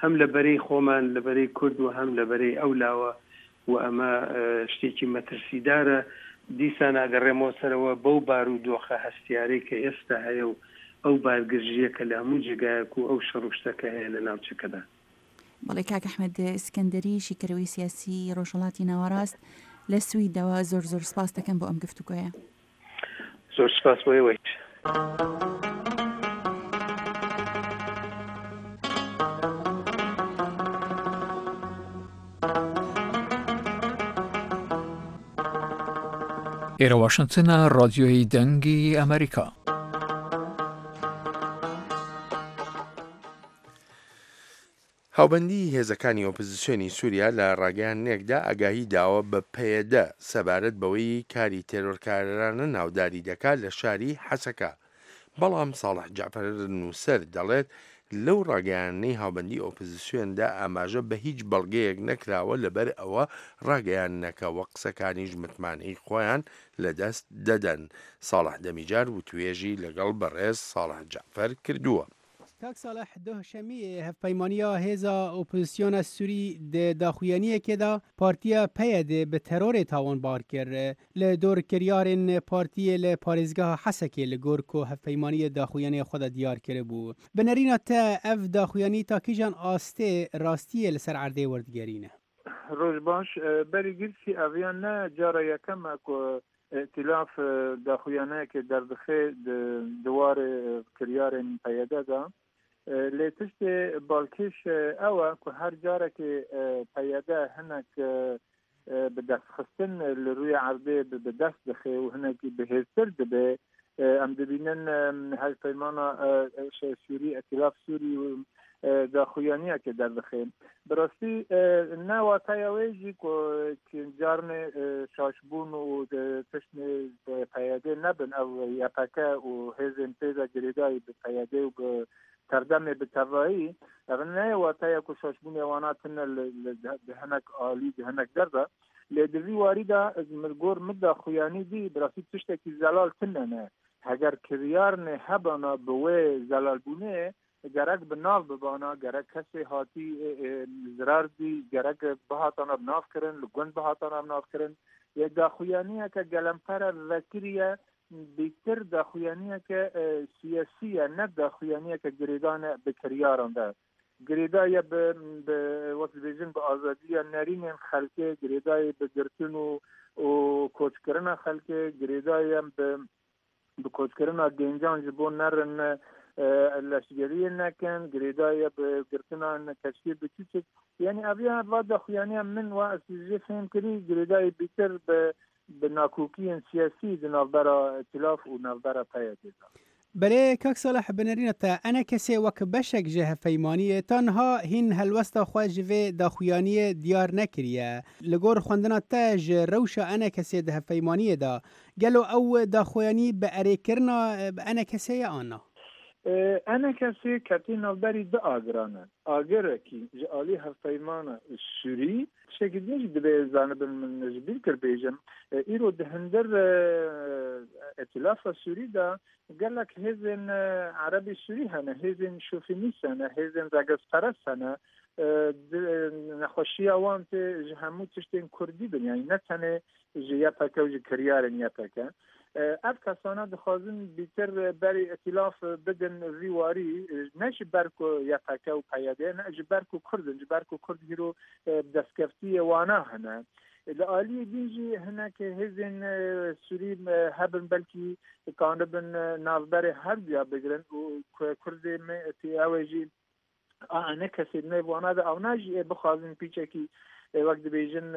هەم لە بەرەی خۆمان لە بەرەی کورد و هەم لە بەرەی ئەو لاوە، و ئەمە شتێکی مەترسیدارە. دیسان ئاگەڕێمەوە سەرەوە بەو بارودۆخە هەستیارەی کە ئێستا هەیە و ئەو بارگرژیە کە لە هەموو جێگایەک و ئەو شەڕ و شتەکە هەیە لە ناوچەکەدا. بەڵێ کاک ئەحمەد ئیسکەندەری، شیکەرەوەی سیاسی ڕۆژهەڵاتی ناوەڕاست لە سویدەوە، زۆر زۆر سپاس دەکەم بۆ ئەم گفتوگۆیە. زۆر سپاس بۆ ئێوەیش. ئێرە واشنگتنە، ڕادیۆی دەنگی ئەمریکا. هاوبەندی هێزەکانی ئۆپۆزیسیۆنی سووریا لە ڕاگەیاندنێکدا ئاگاهی داوە بە پەیەدە سەبارەت بەوەی کاری تێرۆرکارانە ناوداری دەکات لە شاری حەسەکە. بەڵام ساڵح جەعفەر نووسەر دەڵێت لەو ڕاگەیاندنەی هاوبەندی ئۆپزسیۆندا ئاماژە بە هیچ بەڵگەیەک نەکراوە لەبەر ئەوە ڕاگەیاندنەکە وە قسەکانیش متمانەی خۆیان لەدەست دەدەن. ساڵح دەمیجار وتوێژی لەگەڵ بەڕێز ساڵح جەعفەر کردووە. کاک ساڵح دوه شەمییە هەڤپەیمانیا هێزا ئۆپۆزسیۆنا سوری دە داخویانیەکێ دا پارتیا پەیەدێ بە تەرۆرێ تاوانبار کر. لە دۆر کریارێن پارتیێ لە پارێزگەها حەسەکێ لە گۆر کو هەڤپەیمانیە داخویانیا خwe دا دیار کربوو. بە نەرîna te ev daxuyanî ta kîjan astê rastiyê li ser erdê werdigerîne؟ ڕۆژ باش. بەری گرسی ئەڤیان نە جارە یەکەمە کو ئیتیلاف داخویانەیەکێ دەردخێ di warê kiryarên P Y D de. Lê tiştê balkêş ew e ku her carekê P Y D hinek bi destxistin li rûyê erdê bi dest dixe û hinekî bihêztir dibe. Em dibînin hevpeymana Sûrî, Îtîlaf Sûrî daxuyaniyekê derdixe. Bi rastî ne wateya wê jî ku carnê şaşbûn û tiştê P Y D nebin ew Y P G û hêzên pê de girêdayî bi P Y D û bi tevdemê bi tevayî, ev neyê wateya ku şaşbûnê wana tune di hinek alî di hinek der de. Lê di vî warî de min gor min daxuyanî dî bi rastî tiştekî zelal tune ne. Heger kiryarnê hebana bi wê zelalbûnê gerek bi nav bibana, gerek kesê hatî zirar dî, gerek bihatana bi nav kirin, li gund bihatana bi nav kirin. Lê daxuyaniyeke gelempere vekiriye bêtir daxuyaniyeke siyasî ye, ne daxuyaniyeke girêdane bi kiryaran de. Girêdaye bi wek dibêjin bi azadiya nerînên xelkê, girêdayê bi girtin û û koçkirina xelkê, girêdaye bi bi koçkirina gêncan ji bo nerin leşgeriyê nekin, girêdaye bi girtina keştiyê biçûçik. Yani ev ya va daxuyaniya min wa ez jê fêm kirî girêdayê bêtir bi bi nakokiyên siyasî di navbera Îtîlaf û navbera P Y D de. Belê kak Salih bi nerîna te E N K S wek beşek ji hevpeymaniyê ta niha hîn helwesta xwe ji vê daxuyaniyê diyar nekiriye. Li gor xwendina te ji rewşa E N K S di hevpeymaniyê de gelo ew daxuyanî bi erêkirina E N K S ye an na؟ E N K S ketî navberî du agiran e. Agirekî ji alî hevpeymana Sûrî tiştekî din jî dibe zanibin min ji bîr kir bêjim. Îro di hindir Îtîlafa Sûrî de gelek hêzên Erebî Sûrî hene, hêzên şofînîst hene, hêzên regezperest hene. Nexweşiya wan tê ji hemû tiştên Kurdî bin, yani ne tenê ji Y P G û ji kiryarên Y P G. Ev kesana dixwazin bêtir berî îtîlaf bidin vî warî, ne ji ber ku Y P G û P Y D ne ji ber ku Kurd in, ji ber ku Kurd hîro destkeftiyê wana hene. Li aliyê din jî hinek hêzên Sûrî hebin belkî kanibin navberê her duya bigirin û Kurdê me ew ê jî a ne kesê nêv wana de ew na jî ê bixwazin pîçekî wek dibêjin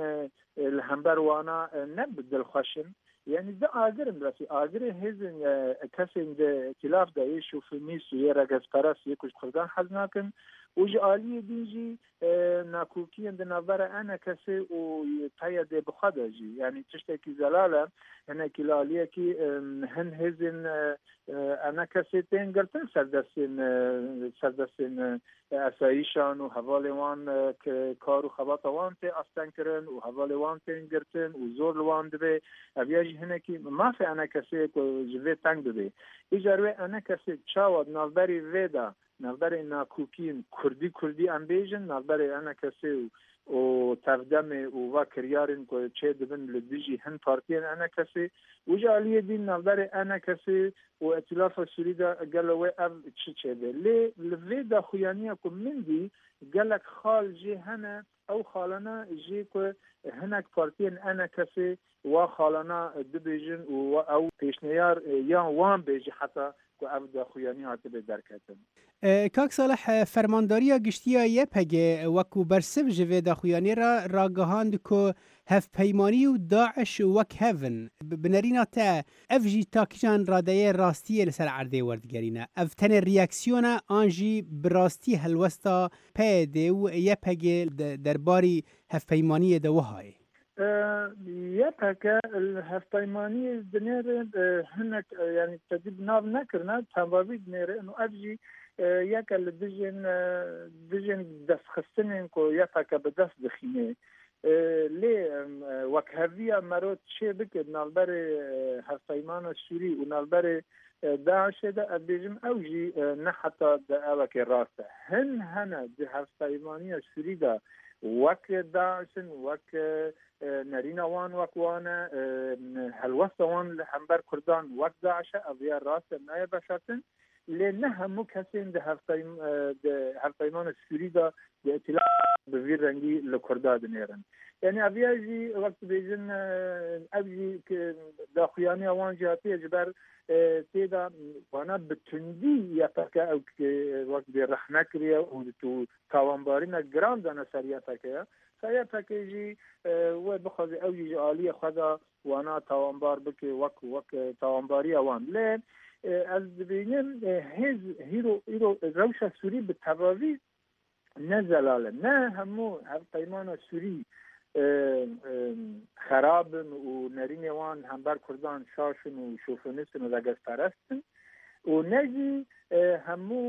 li hember wana ne bi dilxweş in. Yani di agirin rastî agirê hêzên kesên di îtîlaf de yê şofînîst û yê regezperest yê ku ji Kurdan hez nakin û ji aliyê din jî nakokiyên di navbera E N K S û P Y D bi xwe de jî. Yani tiştekî zelal e hinekî li aliyekî hin hêzên E N K S tên girtin serdestên serdestên asayîşan û hevalê wan kar û xebata wan tê astengkirin û hevalê wan tên girtin û zor li wan dibe. Ev ya jî hinekî mafê E N K S ku ji vê teng bibe. Îcar wê E N K S çawa di navberî vê de navberê nakokiyên Kurdî Kurdî em bêjin navberê E N K S û û tevdemê û va kiryarên ku çê dibin li dijî hin partiyên E N K S û ji aliyê din navberê E N K S û Îtîlafa Sûrî de gelo wê ev çi çêbe. Lê li vê daxuyaniya ku min dî gelek xal jê hene ew xalana jê ku hinek partiyên E N K S wa xalana dibêjin û ew pêşniyar yan wan bêjî heta ku ev daxuyanî hatibe derketin. Kak Salih fermandariya giştiya Y P G wekû bersiv ji vê daxuyanî re ragihand ku hevpeymanî û Daîş wek hev in. Bi nerîna te ev jî ta kîjan radeyê rastiyê li ser erdê werdigerîne. Ev tenê reaksiyon e an jî bi rastî helwesta P Y D û Y P G derbarî hevpeymaniyê de wiha ye؟ YPG هەڤپەیمانیە دنێرێ hinek yanî tedî bi nav nekirine tevavî dinêre û ev jî yeke li dijên dijên destxistinên ku YPG bi dest dixîne lê wekheviya mero çê bike navberê hevpeymana Sûrî û navberê DAIŞê de ez bêjim ew jî ne heta di evekê rast e. Hin hene di hevpeymaniya Sûrî de wek DAIŞin wek nerîna wan wek wan e helwesta wan li hember Kurdan wek DAIŞ e ev ya rast e nayê veşartin lê ne hemû kesên di hevpeymana Sûrî de di îtilaf bi vî rengî li Kurda dinêrin. Yani ev ya jî wek dibêjin ev jî daxuyaniya wan jî hatiye ji ber tê de wana bi tundî YPG ew wek dê rexne kiriye û tawanbarîna giran dane ser YPG ye. YPG jî wê bixwaze ew jî ji aliyê xwe de wana tawanbar bike wek wek tawanbariya wan. Lê ez dibînim hêz hîro îro rewşa Sûrî bi tevavî ne zelal e. Ne hemû hevpeymana Sûrî xerab in û nerînê wan hember Kurdan şaş in û şofinist in û regezperest in û ne jî hemû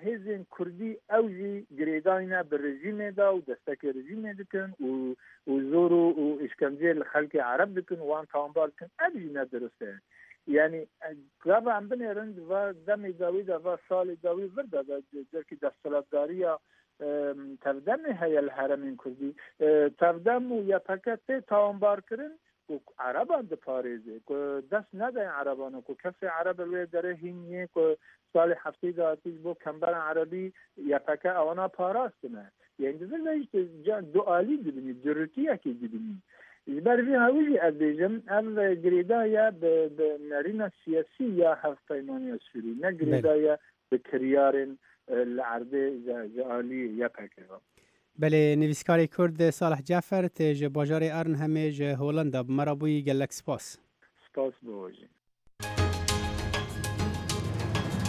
hêzên Kurdî ew jî girêdayîne bi rejîmê de û destekê rejîmê dikin û û zor û îşkenceyê li xelkê Ereb dikin û wan tawanbar dikin ev jî ne dirust e. Yani gava em binêrin di va demê dawî de va salê dawî vir de celkî desthilatdariya tevdemê heye li heremên Kurdî tevdem û YPG tê tawanbarkirin ku Ereban diparêze ku dest nedayên Ereban ku kesê Ereb li wê derê hîn yê ku salê heftê de hatî ji bo kemberan Erebî YPG ewana parastine. Yani di vir de jî du alî dibînî, dirûtiyekê dibînî. Ji ber vî hawî jî ez bêjim ev girêdaye bi bi nerîna siyasî ya hevpeymaniya Sûrî ne girêdaye bi kiryarên li erdê ji aliyê YPG ve. Belê nivîskarê Kurd Salih Cafer tê ji bajarê Arnhemê ji Holanda bi me re bûyî gelek spas. Spas bo jî.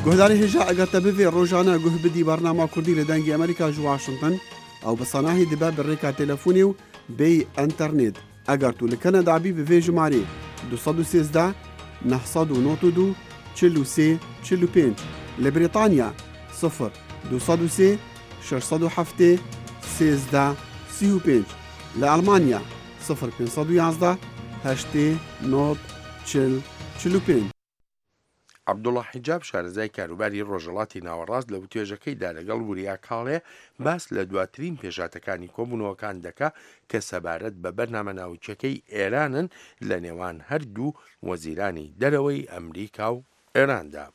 Guhdarê hêja eger te bivê rojane guh bidî bernama Kurdî li Dengê Amerîka ji Washington ew bi sanahî dibe bi rêka telefonê û bêyî înternet. Eger tu li Kanada bî bi vê jimarê du sed û sêzdeh neh sed û nod û du çil û sê çil û pênc li Brîtanya sıfır du sed û sê şeş sed û heftê sêzdeh sî û pênc li Almanya sıfır pênc sed û yazdeh heştê nod çil çil û pênc. عەبدوڵڵا حیجاب شارەزای کاروباری ڕۆژهەڵاتی ناوەڕاست لە وتوێژەکەیدا لەگەڵ وریا کاڵێ باس لە دواترین پێشاتەکانی کۆبوونەوەکان دەکا کە سەبارەت بە بەرنامە ناوچەکەی ئێرانن لە نێوان هەردوو وەزیرانی دەرەوەی ئەمریکا و ئێراندا.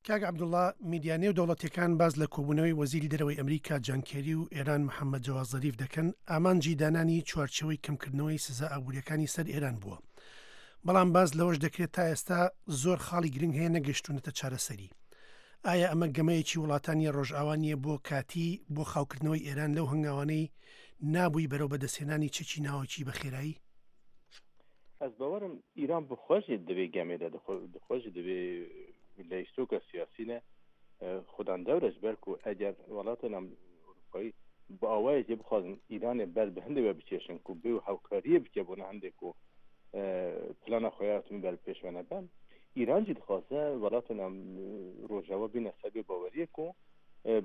کاک عەبدوڵڵا، میدیا نێو دەوڵەتەکان باز لە کۆبوونەوەی وەزیری دەرەوەی ئەمریکا جان کێری و ئێران محەممەد جەواد زەریف دەکەن، ئامانجی دانانی چوارچێوەی کەمکردنەوەی سزا ئابووریەکانی سەر ئێران بووە. بەڵام باز لەوەش دەکرێت تا ئێستا زۆر خاڵی گرنگ هەیە نەگەشتونەتە چارەسەری. ئایا ئەمە گەمەیەکی وڵاتانی ڕۆژئاوا نییە بۆ کاتی بۆ خاوکردنەوەی ئێران لەو هەنگاوانەی نابووی بەرەو بەدەستهێنانی چەکی ناوەکی بە خێرایی؟ ئەس باوەڕم ئیران بخۆشی دەبێ گەمێدا دخۆشی دەبێ لەیستۆکە سیاسینە خودان دەورەش بەرکو ئەگەر وڵاتە ئەوروپایی بە ئاوایەکی بخوازن ئیرانێ بەر بە هەندێک وە بچێشن کو بێ و هاوکاریە بکە بۆ هەندێک و پلانە خۆیاتون بەر پێشوانە بن ئیران جی دخوازە وڵاتە ڕۆژاوا بینە سەبێ باوەریەک و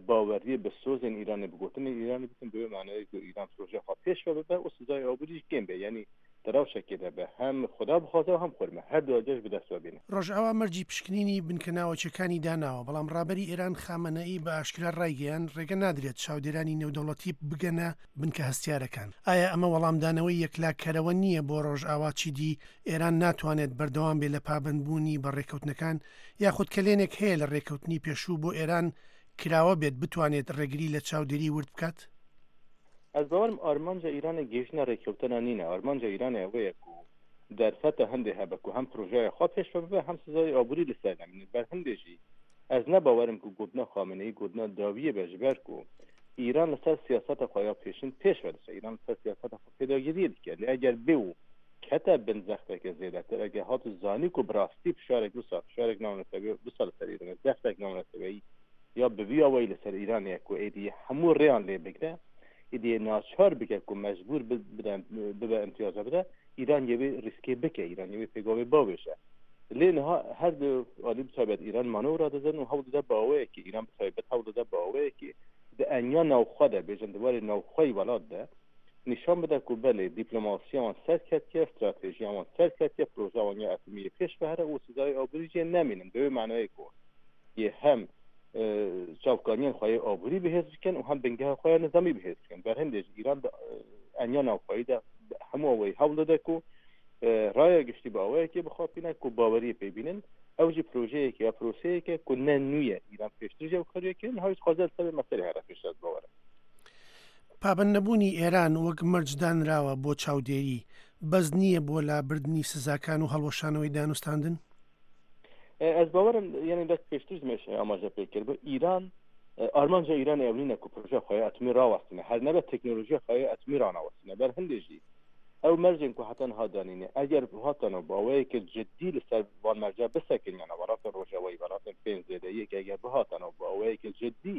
باوەریە بە سۆزێن ئیرانێ بگوتنە ئیرانی بکەن بێ معنای کو ئیران پرۆژە خوا پێشوە ببە و سزای ئابووریش کێم بێ یعنی دراوشەکێ دەبێ هەم خدا بخوازە و هەم خورمە هەر دوو جەش بەدەستوە بینە. ڕۆژئاوا مەرجی پشکنینی بنکە ناوەچەکانی داناوە، بەڵام ڕابەری ئێران خامەنەئی بە ئاشکرا ڕایگەیان ڕێگە نادرێت چاودێرانی نێودەوڵەتی بگەنە بنکە هەستیارەکان. ئایا ئەمە وەڵامدانەوەی یەکلاکەرەوە نییە بۆ ڕۆژئاوا چیدی ئێران ناتوانێت بەردەوام بێ لە پابەندبوونی بە ڕێککەوتنەکان یاخود کەلێنێک هەیە لە ڕێککەوتنی پێشوو بۆ ئێران کراوە بێت بتوانێت ڕێگری لە چاودێری ورد بکات؟ ئەس باوەڕم ئارمانجە ئیرانە گەیشتنە ڕێککەوتنە نینە. ئارمانجە ئیرانە ئەوەیە کو دەرفەتە هەندێک هەبە کو هەم پرۆژەیە خوا پێشوە ببە هەم سزای ئابووری لەسەر نەمێنێت. بەر هەندێژی ئەس نەباوەرم کو گوتنە خامنەیی گوتنە داویە بە ji ber ku ئیران لەسەر سیاسەتە خۆیا پێشن پێشوە دەچێت. ئیران لەسەر سیاسەتە خۆ پێداگیریە دکە. لێ ئەگەر بێ و کەتە بن زەختێکە زێدەتر ئەگەر هات و زانی کو بڕاستی فشارێک وسا فشارێک ناونەتەوەی وسا لەسەر ئیرانە زەختێک ناونەتەوەی یا بە وی ئاوایی لەسەر ئیرانەیە کو ئێدی هەموو ڕێیان لێ بگرە ئیدی ناچار بکە کو مەجبور ببە ئیمتیازە بدە ئیران یەوێ ریسکێ بکە، ئیران یەوێ پێگاوێ باوێژە. لێ نها هەر دو عالی بتایبەت ئیران مانۆرا دەدەن و هەوڵ دەدە باوەیەکی ئیران بتایبەت هەوڵ دەدە باوەیەکی di eniya navxwe de bêjin di warê navxweyî welat de nîşan bide ku belê dîplomasiya wan serketiye, stratejiya wan serketiye, projeya wan ya atomiyê pêş bihere û sizayê aborî jê nemînin. Bi wê manayê ku yê hem çavkaniyên xwe yê aborî bihêz bikin û hem bingeha xwe ya nizamî bihêz bikin. Berhindê ji Îran di eniya navxweyî de hemû awayî hewl dide ku raya giştî bi awayekê bixapîne ku baweriyê pê bînin. Ew jî projeyekê ya proseyeke ku ne nû ye Îran pêştir jî ew kariye kirin, niha jî dixwaze li ser vê meselê here pêş ez bawer im. پابەند نەبوونی ئێران وەک مەرج دانراوە بۆ چاودێری، بەس نییە بۆ لابردنی سزاکان و هەڵوەشانەوەی دانوستاندن؟ ئەز باوەرم یعنی دەست پێشتر مێش ئاماژە پێ کرد بۆ ئیران ئارمانجە ئیران ئەو نینە ku projeya xwe ya atomî rawestîne، her nebe teknolojiya xwe ya atomî ranawestîne. Ber hindê jî ew mercên ku heta niha danîne eger hatana bi awayekê cidî li ser van merca bisekin yana welatên rojavayî welatên pênc zêde yek eger bihatana bi awayekê cidî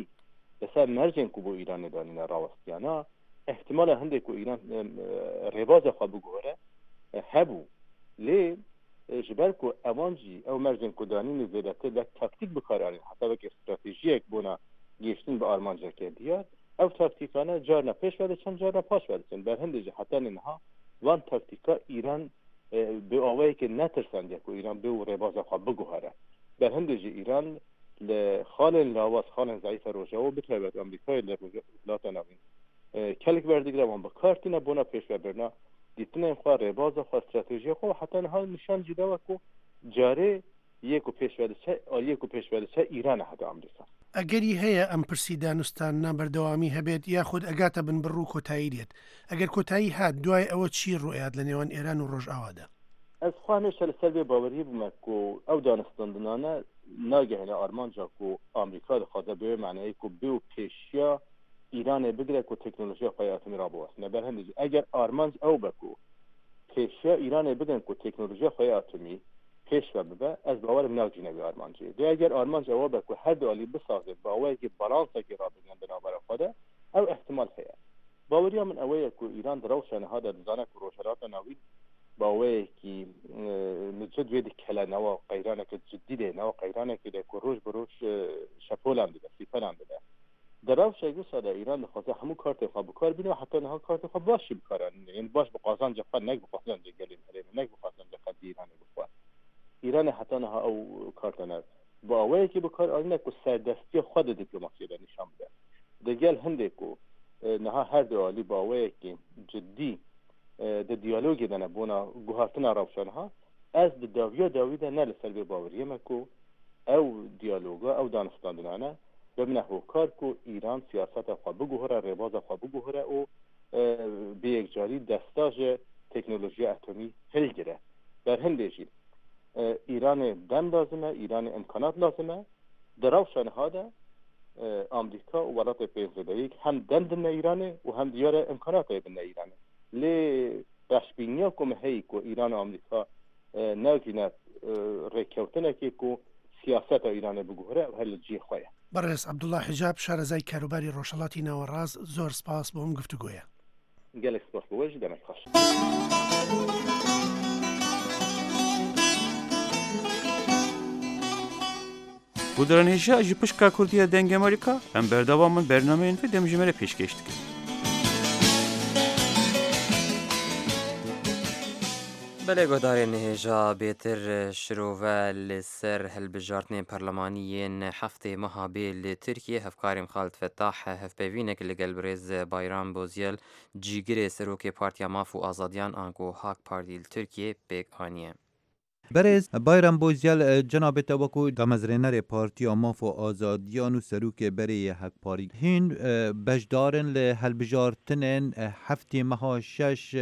li ser mercên ku bo Îranê danîne rawestiyana احتمala hindê ku Îran rêbaza xwe biguhere hebû. Lê ji ber ku ewan jî ew mercên ku danîne zêdetir wek taktîk bikar anîn, heta wek stratejiyek bona gihîştin bi armanceke diyar, ew taktîkane carna pêş ve diçin, carna paş ve diçin. Ber hindê jî heta niha van taktîka Îran bi awayekê netirsandiye ku Îran bê û rêbaza xwe biguhere. Ber hindê jî Îran li xalên lawaz, xalên zayîfa Rojava bi taybet Amerîkayê li Rojhilata Navîn kelek werdigire wan bi kar tîne bona pêşvebirina dîtinên xwe, rêbaza xwe, stratejiya xwe û heta niha nîşan jî dawe ku carê yê ku pêşve diçe, aliyê ku pêşve diçe Îran e heta Amerîka. ئەگەری هەیە ئەم پرسی دانوستاننا بەردەوامی هەبێت یاخود ئەگاتە بنبڕ و کۆتایی دێت. ئەگەر کۆتایی هات دوای ئەوە چی ڕوئیات لە نێوان ئێران و ڕۆژئاوادا؟ ئەز خوا هەمیشە لەسەر بێ باوەری بوومە ku ئەو دانوستاندنانە ناگەهێنە ئارمانجا ku ئەمریکا دەخوازە بێ معنایە ku bê û pêşiya ئیرانê بگرە ku teknolojiya xwe ya atomî rabiwestîne. Ber hindê jî eger armanc ew be ku pêşiya Îranê bigirin ku teknolojiya xwe ya atomî pêş ve bibe, ez bawerim nagihîne wê armancê. Lê eger armanc ew be ku her du alî bisazê bi awayekî balansekê rabigirin di navbera xwe de, ew ihtimal heye. Baweriya min ew ye ku Îran di rewşa niha de dizane ku Rojhilata Navîn bi awayekî micid wê dikele nawa qeyraneke cidî de, nawa qeyranekê de ku roj bi roj şepolan dide, sîpelan dide. Di rewşek wisa de Îran dixwaze hemû kartê xwe bikar bîne û heta niha kartê xwe baş jî bikar anîne. Yani baş bi qazanca xwe, nek bi qazanca gelên herêmê, nek bi qazanca xelkê Îranê bixwe. Îranê heta niha ew kartane bi awayekî bikar anîne ku serdestiya xwe di dîplomasiyê de nîşan bide. Di gel hindê ku niha her du alî bi awayekî cidî di diyalogê de ne bona guhartina rewşa niha, ez di dawiya dawî de ne li ser vê baweriyê me ku ew diyaloga, ew danistandinane bibine hokar ku Îran siyaseta xwe biguhere, rêbaza xwe biguhere û bi yekcarî desta ji teknolojiya atomî hilgire. Ber hindê jî Îranê dem lazim e, Îranê imkanat lazim e. Di rewşa niha de Amerîka û welatê pênc zêdeyîk hem dem dine Îranê û hem diyar e imkanatê bine Îranê. Lê reşbîniya ku me heyî ku Îran û Amerîka nagihîne rêkewtinekê ku siyaseta Îranê biguhere ew her li cihê xwe ye. بەڕێز عەبدوڵڵا حیجاب شارەزای کاروباری ڕۆژهەڵاتی ناوەڕاست زۆر سپاس بۆ ئەم گفتوگۆیە. gelek spas بۆ we jî demek xweş. Guhdarên hêja ji pişka Kurdiya Dengê Amerîka em berdewam in bernameyên vê demjimêrê pêşkêş dikin. Belê guhdarên hêja bêtir şirove li ser hilbijartinên perlemanî yên heftê meha bê li Tirkiye hevkarên Xalid Fettah hevpeyvînek li gel birêz Bayram Bozyel cîgirê Serokê Partiya Maf û Azadiyan anku Hak Partî li Tirkiye pêk aniye. Berêz Bayram Bozyel cenabê te wekû damezrênerê Partiya Maf û Azadiyan û Serokê berê yê Hak Partî hîn beşdarên li hilbijartinên heftê meha şeş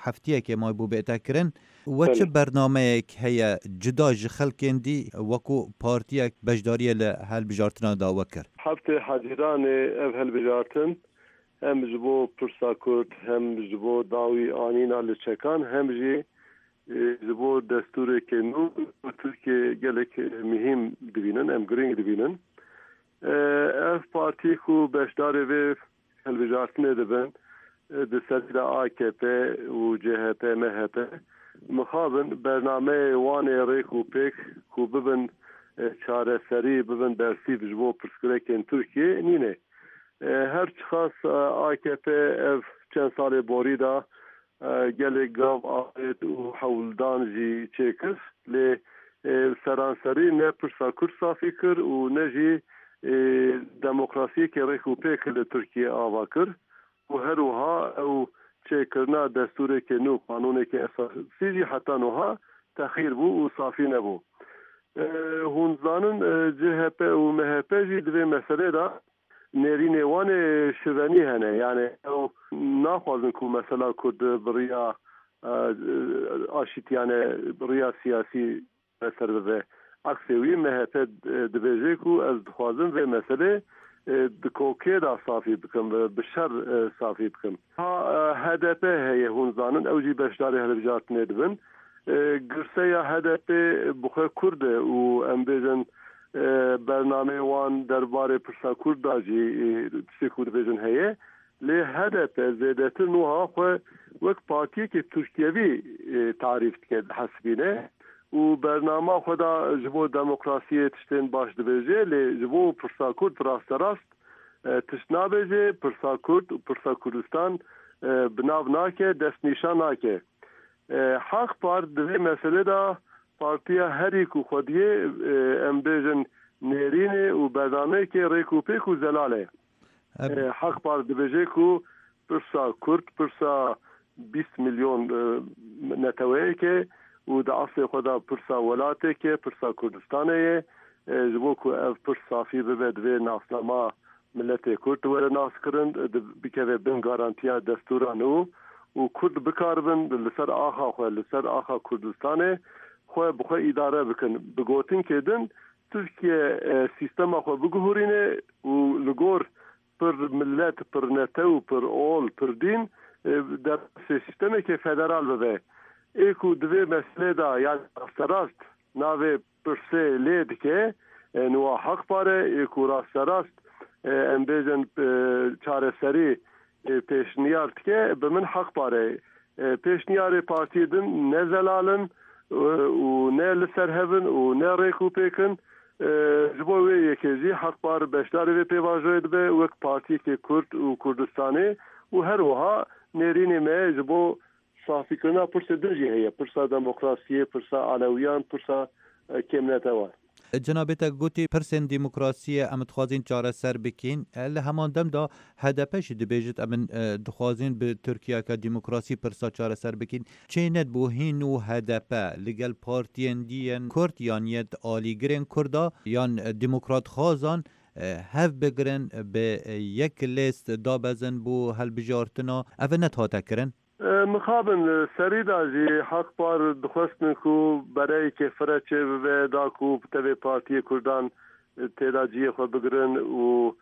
heftiyekê maybû bête kirin. We çi bernameyek heye cuda ji xelkên dî wekû partiyek beşdariyê li hilbijartina da we kir? Heftê Hezîranê ev hilbijartin hem ji bo pirsa Kurd hem ji bo dawî anîna li çekan hem jî ji bo destûrekê nû Tirkiye gelek mühim dibînin, em giring dibînin. Ev partî ku beşdarê vê hilbijartinê dibin Di serî de A K P û C H P, M H P mixabin bernameyê wan ê rêk û pêk ku bibin çareserî, bibin bersîv ji bo pirsgirêkên Tirkiyê nîne. Her çiqas A K P ev çend salê borî de gelek gav avêt û hewldan jî çêkir, lê seranserî ne pirsa Kurd safî kir û ne jî demokrasiyekê rêk û pêk li Tirkiyê ava kir û her wiha ew çêkirina destûrekê nû, qanûnekê esasî jî heta nuha texîr bû û safî nebû. Hûn zanin C H P û M H P jî di vê meselê de nêrînê wan ê şivenî hene, yanê ew naxwazin ku mesela Kurd bi riya aşîtiyane, bi riya siyasî çareser bibe. Eksê wî M H P dibêje ku ez dixwazim vê meselê di kokê de safî bikim, bi şer safî bikim. Ha H D P heye, hûn zanin ew jî beşdarê hilbijartinê dibin. Girseya H D P bi xwe Kurd e û em bêjin bernameyê wan derbarê pirsa Kurd da jî tiştê ku dibêjin heye. Lê H D P zêdetir nuha xwe wek partiyekê Tirkiyevî tarîf dike, dihesibîne û bernama xwe da ji bo demokrasiyê tiştên baş dibêje, lê ji bo pirsa Kurd rasterast tişt nabêje, pirsa Kurd û pirsa Kurdistan bi nav nake, destnîşan nake. Hak-Par di vê meselê de partiya herî ku xwediyê em bêjin nêrînê û bernameyekê rêk û pêk û zelal e. Hak-Par dibêje ku pirsa Kurd pirsa bîst milyon neteweyeke û di eslê xwe de pirsa welateke, pirsa Kurdistanê ye. Ji bo ku ev pirs safî bibe divê nasnama miletê Kurd were naskirin, bikeve bin garantiya destûra nû û Kurd bikaribin li ser axa xwe, li ser axa Kurdistanê xwe bi xwe îdare bikin. Bi gotinkê din Tirkiye sîstema xwe biguherîne û li gor pir millet, pir netew, pir ol, pir dîn derbasê sîstemekê federal bibe. Ê ku di vê meselê de yan rasterast navê pirsê lê dike niwa Hak-Par e, ê ku rasterast em bêjin çareserî pêşniyar dike bi min Hak-Par e. Pêşniyarê partiyê din ne zelal in û ne li ser hev in û ne rêk û pêk in. Ji bo wê yekê jî Hak-Par beşdarê vê pêvajoyê dibe wek partiyekê Kurd û Kurdistanê û her wiha nêrînê me ji bo safîkirina pirsê din jî heye, pirsa demokrasiyê, pirsa alewiyan, pirsa kêmnetewan. Cenabê te gotî pirsên demokrasiyê em dixwazin çareser bikîn, li heman dem de H D P jî dibêjit em dixwazin bi Tirkiyeke demokrasî pirsa çareser bikîn. Çê nedibû hîn û H D P li gel partiyên dî yên Kurd yan yê alîgirên Kurda yan demokratxwazan hev bigirin bi yek lêst dabezin bo hilbijartina ev nethate kirin? Mixabin serî da jî Hak-Par dixwestin ku bereyekê fire çê bibe da ku tevê partiyê Kurdan têda ciyê xwe bigirin û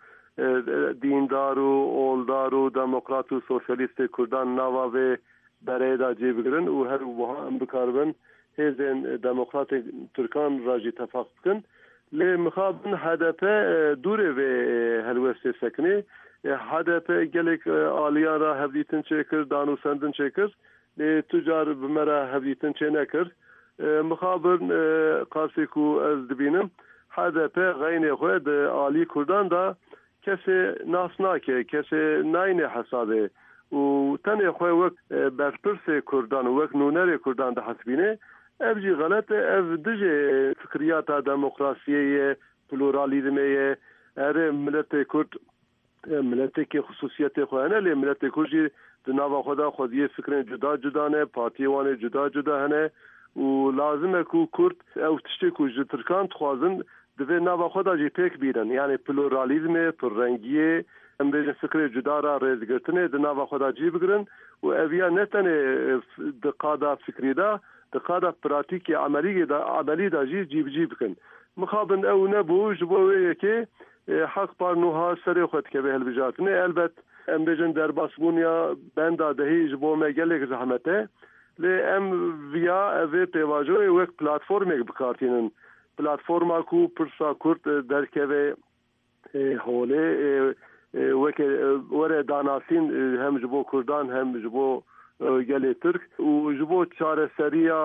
dîndar û oldar û demokrat û sosyalîstê Kurdan nava vê bereyê da cê bigirin û her wiha em bikaribin hêzên demokratên Tirkan ra jî tefaq bikin. Lê mixabin H D P dûrê vê helwestê sekinê. H D P gelek aliyan ra hevdîtin çêkir, danûsendin çêkir, lê tu car bi me re hevdîtin çênekir. Mixabin qasê ku ez dibînim H D P xeynê xwe di alî Kurdan da kesê nas nake, kesê nayne hesabê û tenê xwe wek berpirsê Kurdan û wek nûnerê Kurdan dihesibîne. Ev jî xelet e, ev dijê fikriyata demokrasiyê ye, pluralizmê ye. Erê miletê Kurd miletekê xisûsiyetê xwe hene, lê miletê Kurd jî di nava xwe de xwediyê fikrên cuda cuda ne, partiyê wan ê cuda cuda hene û lazim e ku Kurd ew tiştê ku ji Tirkan dixwazin divê nava xwe de jî pêk bînin. Yanî pluralizmê, pirrengiyê, em bêjin fikrê cuda ra rêzgirtinê di nava xwe de cî bigirin û ev ya ne tenê di qada fikrî de, di qada pratîkê emelî de emelî de jî cîbicî bikin. Mixabin ew nebû ji bo wê yekê Hak-Par nuha serê xwe dikeve hilbijartinê. Elbet em bêjin derbasbûn ya benda dehî ji bo me gelek zehmet e. Lê em viya evê pêvajoyê wek platformek bikartînin. Platforma ku pirsa Kurd derkeve holê وەکە وەرە داناسین hem ji bo Kurdan hem ji bo gelê Türk û ji bo çareseriya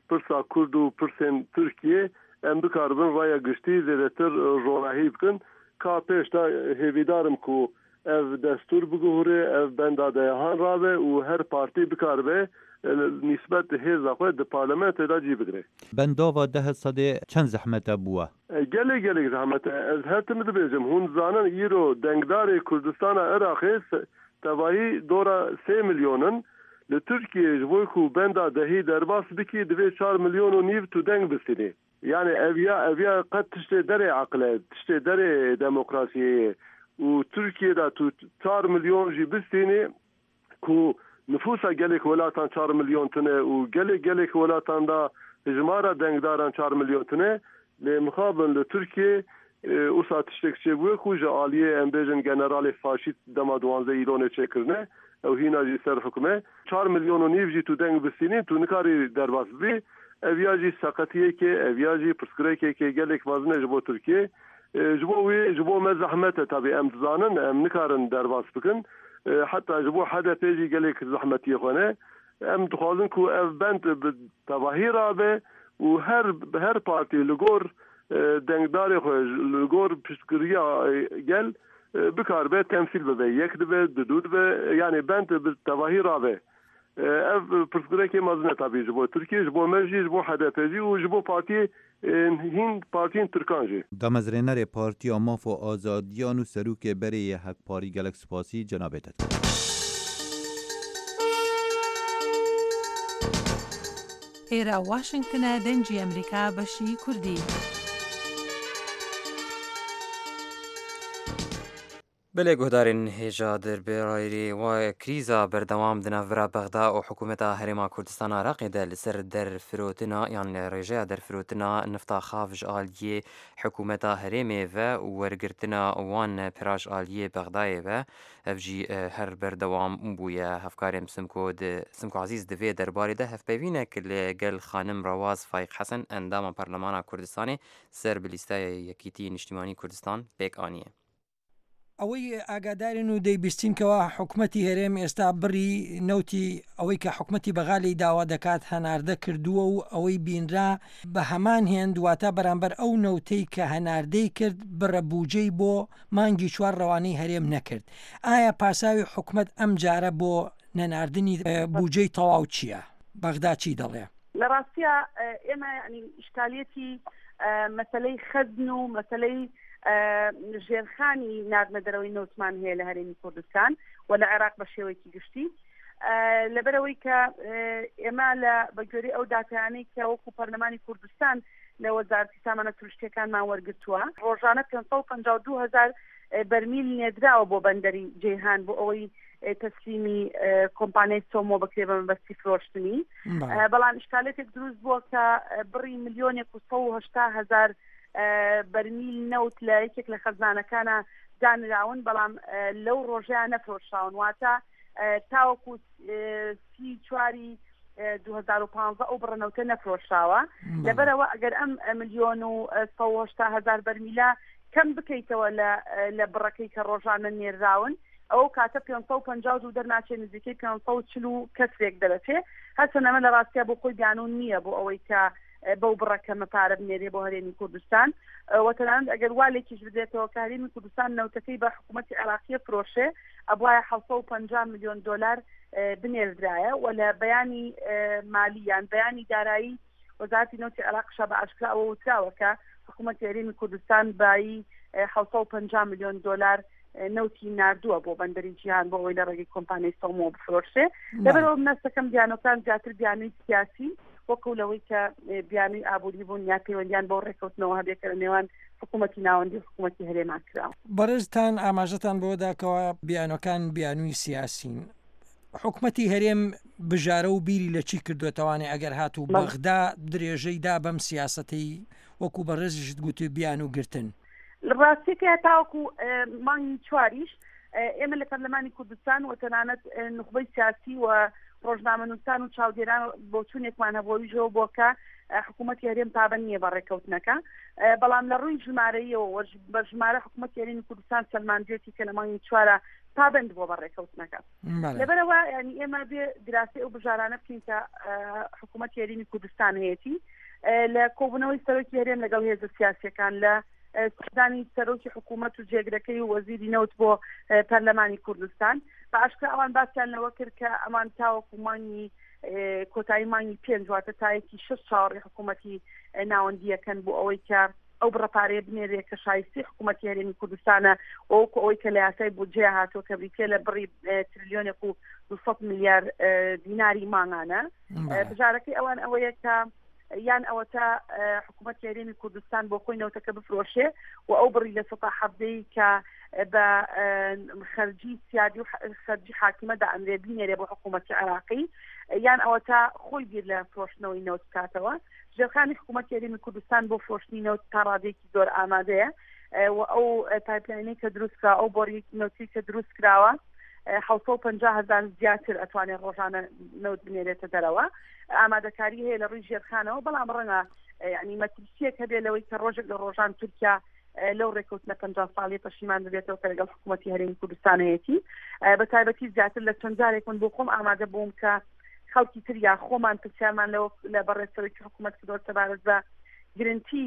pirsa Kurd û pirsên Tirkiye em bikaribin raya giştî zêdetir ronahî bikin ka pêş de hêvîdarim ku ev destûr biguhure ev benda dehan rabe û her partî bikaribe nisbet hêza xwe di parlamentoyê de cî bigire. Bendava deh sedê çend zehmet e bûye? Gelek gelek zehmet e. Ez her tim dibêjim hûn zanin îro dengdarê Kurdistana Iraqê tevahî dora sê milyonin li Tirkiyeyê ji bo ku benda dehî derbas bikî divê çar milyon û nîv tu deng bistînî. Yani ev ya ev ya qet tiştê derê aqil e, tiştê derê demokrasiyê ye. Û Tirkiye de tu çar milyon jî bistînî ku nüfusa gelek welatan çar milyon tune û gelek gelek welatan da hejmara dengdaran çar milyon tune lê mixabin li Tirkiye wisa tiştek çêbûye ku ji aliyê em bêjin generalê faşîst dema duwanzdeh îlonê çêkirine ew hîna jî ser hikûme çar milyon û nîv jî tu deng bistînî tu nikarî derbas bibî ev ya jî seqetiyekê ev ya jî pirsgirêkekê gelek mezin e ji bo Tirkiye ji bo wê ji bo me zehmet e tabii em dizanin em nikarin derbas bikin heta ji bo H D P jî gelek zehmetiyê xwe ne em dixwazin ku ev bend bi tevahî rabe û her her partî li gor dengdarê xwe li gor piştgiriya gel bikaribe temsil bibe yek dibe du dibe yani bend bi tevahî rabe ev pirsgirêkê mezin e tabii ji bo Tirkiye ji bo me jî ji bo H D P jî û ji bo partiyê hîn partiyên Tirkan jî. Damezrênerê Partiya Maf û Azadiyan û Serokê Berê yê Hekparî gelek spasî cenabê te dikim. ئێرە واشنگتنە دەنگی ئەمریکا بەشی کوردی. بەلێ guhdarên hêja derberayê wa krîza berdewam di navbera Bexda û hikûmeta Herêma Kurdistana Iraqê de li ser derfirotina yan rêjeya derfirotina nifta xav ji aliyê hikûmeta herêmê ve û wergirtina wan pira ji aliyê Bexdayê ve ev jî her berdewam bûye. Hevkarên Simko di Simko Ezîz di vê derbarê de hevpeyvînek li gel xanim Rewaz Fayiq Hesen endama Parlemana Kurdistanê ser bi lîsteya Yekîtî Niştîmanî Kurdistan pêk aniye. ئەوەی ئاگادارن و دەیبیستینکەوە حکومەتی هەرێم ئێستا بڕی نەوتی ئەوەی کە حکومەتی بەغالی داوا دەکات هەناردە کردووە و ئەوەی بینرا بە هەمان هێند واتە بەرامبەر ئەو نەوتەی کە هەناردەی کرد بڕە بوجەی بۆ مانگی چوار ڕەوانەی هەرێم نەکرد. ئایا پاساوی حکومەت ئەم جارە بۆ نەناردنی بوجەی تەواو چییە؟ بەغدا چی دەڵێ؟ لە ڕاستیە ئێمە یعنی ئیشکالیەتی مەسەلەی خەزن و مەسەلەی ژێرخانی ناردنە دەرەوەی نەوتمان هەیە لە هەرێمی کوردستان و لە عێراق بە شێوەیەکی گشتی. لەبەرەوەی کە ئێمە لە بەگوێرەی ئەو داتایانەی کە وەکو پەرلەمانی کوردستان لە وەزارەتی سامانە سروشتیەکانمان وەرگرتووە ڕۆژانە پێنج سەد و پەنجا و دوو هەزار بەرمیل نێدراوە بۆ بەندەری جیهان بۆ ئەوەی تەسلیمی کۆمپانیای سۆمۆ بکرێ بە مەبەستی فرۆشتنی. بەڵام ئیشکالێتێک دروست بووە کە بڕی ملیۆنێک و سەد و هەشتا هەزار بەرمیل نەوت لە یەکێک لە خەزانەکانە دانراون بەڵام لەو ڕۆژەیان نەفرۆشراون، واتە تاوەکو سی چواری دوو هەزار و پانزە ئەو بڕە نەوتە نەفرۆشراوە. لەبەرەوە ئەگەر ئەم ملیۆن و سەد و هەشتا هەزار بەرمیلە کەم بکەیتەوە لە بڕەکەی کە ڕۆژانە نێراون ئەو کاتە پێنج سەد و پەنجا و دوو دەرناچێت نزیکەی پێنج سەد و چل و کەسرێک دەرەچێ. هەرچەند ئەمە لە ڕاستیا بۆ خۆی بیانوون نییە بۆ ئەوەی کە بەو بڕەکەمە پارە بنێرێ بۆ هەرێمی کوردستان و تەنانەت ئەگەر والێکیش بدرێتەوە کە هەرێمی کوردستان نەوتەکەی بە حکوومەتی عێراقیە فرۆشێ ئەبوایە حەوت سەد و پەنجا ملیۆن دۆلار بنێردرایە و لە بەیانی مالی یان بەیانی دارایی وەزارەتی نەوتی عێراقشا بە ئاشکرا ئەوە وتراوە کە حکوومەتی هەرێمی کوردستان بایی حەوت سەد و پەنجا ملیۆن دۆلار نەوتی ناردووە بۆ بەندەری جیهان بۆ ئەوەی لە ڕێگەی کۆمپانیای سۆمۆ بفرۆشێ. لەبەرەوە منەستەکەم بیانۆکان زیاتر بیانووی سیاسی وەکو لەوەی کە بیانووی ئابووری بوون یا پەیوەندیان بۆ ڕێککەوتنەوە هەبێت کە لە نێوان حکوومەتی ناوەندی و حکوومەتی هەرێمان کراوە. بەڕێزتان ئاماژەتان بۆدا کەوا بیانۆکان بیانووی سیاسین. حکومەتی هەرێم بژارە و بیری لە چی کردوێتوانێ ئەگەر هاتوو بەغدا درێژەی دا بەم سیاسەتەی وەکو بەڕێزیشت گوتی بیانوو گرتن؟ ڕاستیەکە تاوەکو مانگی چواریش ئێمە لە پەرلەمانی کوردستان و تەنانەت نوخبەی سیاسی و ڕۆژنامەنووسان و چاودێران بۆچوونێکمان هەبوو ئەویشەوە بۆ کە حکوومەتی هەرێم پابەند نییە بە ڕێککەوتنەکە، بەڵام لە ڕووی ژمارەیەوە بە ژمارە حکوومەتی هەرێمی کوردستان سەلماندوێتی کە لە مانگی چوارە پابەند بووە بە ڕێککەوتنەکە. لەبەرەوە ینی ئێمە بێ دراسی ئەو بژارانە بکەین کە حکوومەتی هەرێمی کوردستان هەیەتی لە کۆبوونەوەی سەرۆکی هەرێم لەگەڵ هێزە سیاسیەکان، لە سەردانی سەرۆکی حکوومەت و جێگرەکەی و وەزیری نەوت بۆ پەرلەمانی کوردستان. بە ئاشکرا ئەوان باسیان لەوە کرد کە ئەمان تاوەکو مانگی کۆتایی مانگی پێنج واتە تایەکی شەش چاوەڕێی حکوومەتی ناوەندیەکەن بۆ ئەوەی کە ئەو بڕە پارەیە بنێرێ کە شایستی حکوومەتی هەرێمی کوردستانە، وەکو ئەوەی کە لە یاسای بودجەیە هاتووە کە بریتیە لە بڕی تریلیۆنێک و دووسەد ملیار دیناری مانگانە. بژارەکەی ئەوان ئەوەیە کە یان ئەوەتا حکوومەتی هەرێمی کوردستان بۆ خۆی نەوتەکە بفرۆشێ و ئەو بڕی لە سەدا حەڤدەی کە بە خەرجی سیادی و خەرجی حاکیمە دائەنرێ بینێرێ بۆ حکوومەتی عێراقی، یان ئەوەتا خۆی بیر لە فرۆشتنەوەی نەوت بکاتەوە. ژێرخانی حکوومەتی هەرێمی کوردستان بۆ فرۆشتنی نەوت تا ڕادەیەکی زۆر ئامادەیە و ئەو pipeline ەی کە دروست کراوە، ئەو بۆری نەوتی کە دروست کراوە حەوت سەد و پەنجا هەزار زیاتر ئەتوانێت ڕۆژانە نەوت بنێرێتە دەرەوە. ئامادەکاری هەیە لە ڕووی ژێرخانەوە، بەڵام ڕەنگە یعنی مەترسیەک هەبێت لەوەی کە ڕۆژێک لە ڕۆژان تورکیا لەو ڕێککەوتنە پەنجا ساڵی پەشیمان ببێتەوە کە لەگەڵ حکوومەتی هەرێمی کوردستان هەیەتی. بە تایبەتی زیاتر لە چەند جارێک من بۆ خۆم ئامادە بووم کە خەڵکی تر یا خۆمان پرسیارمان لەوە لە بەڕێز سەرۆکی حکوومەت کردووە سەبارەت بە گرنتی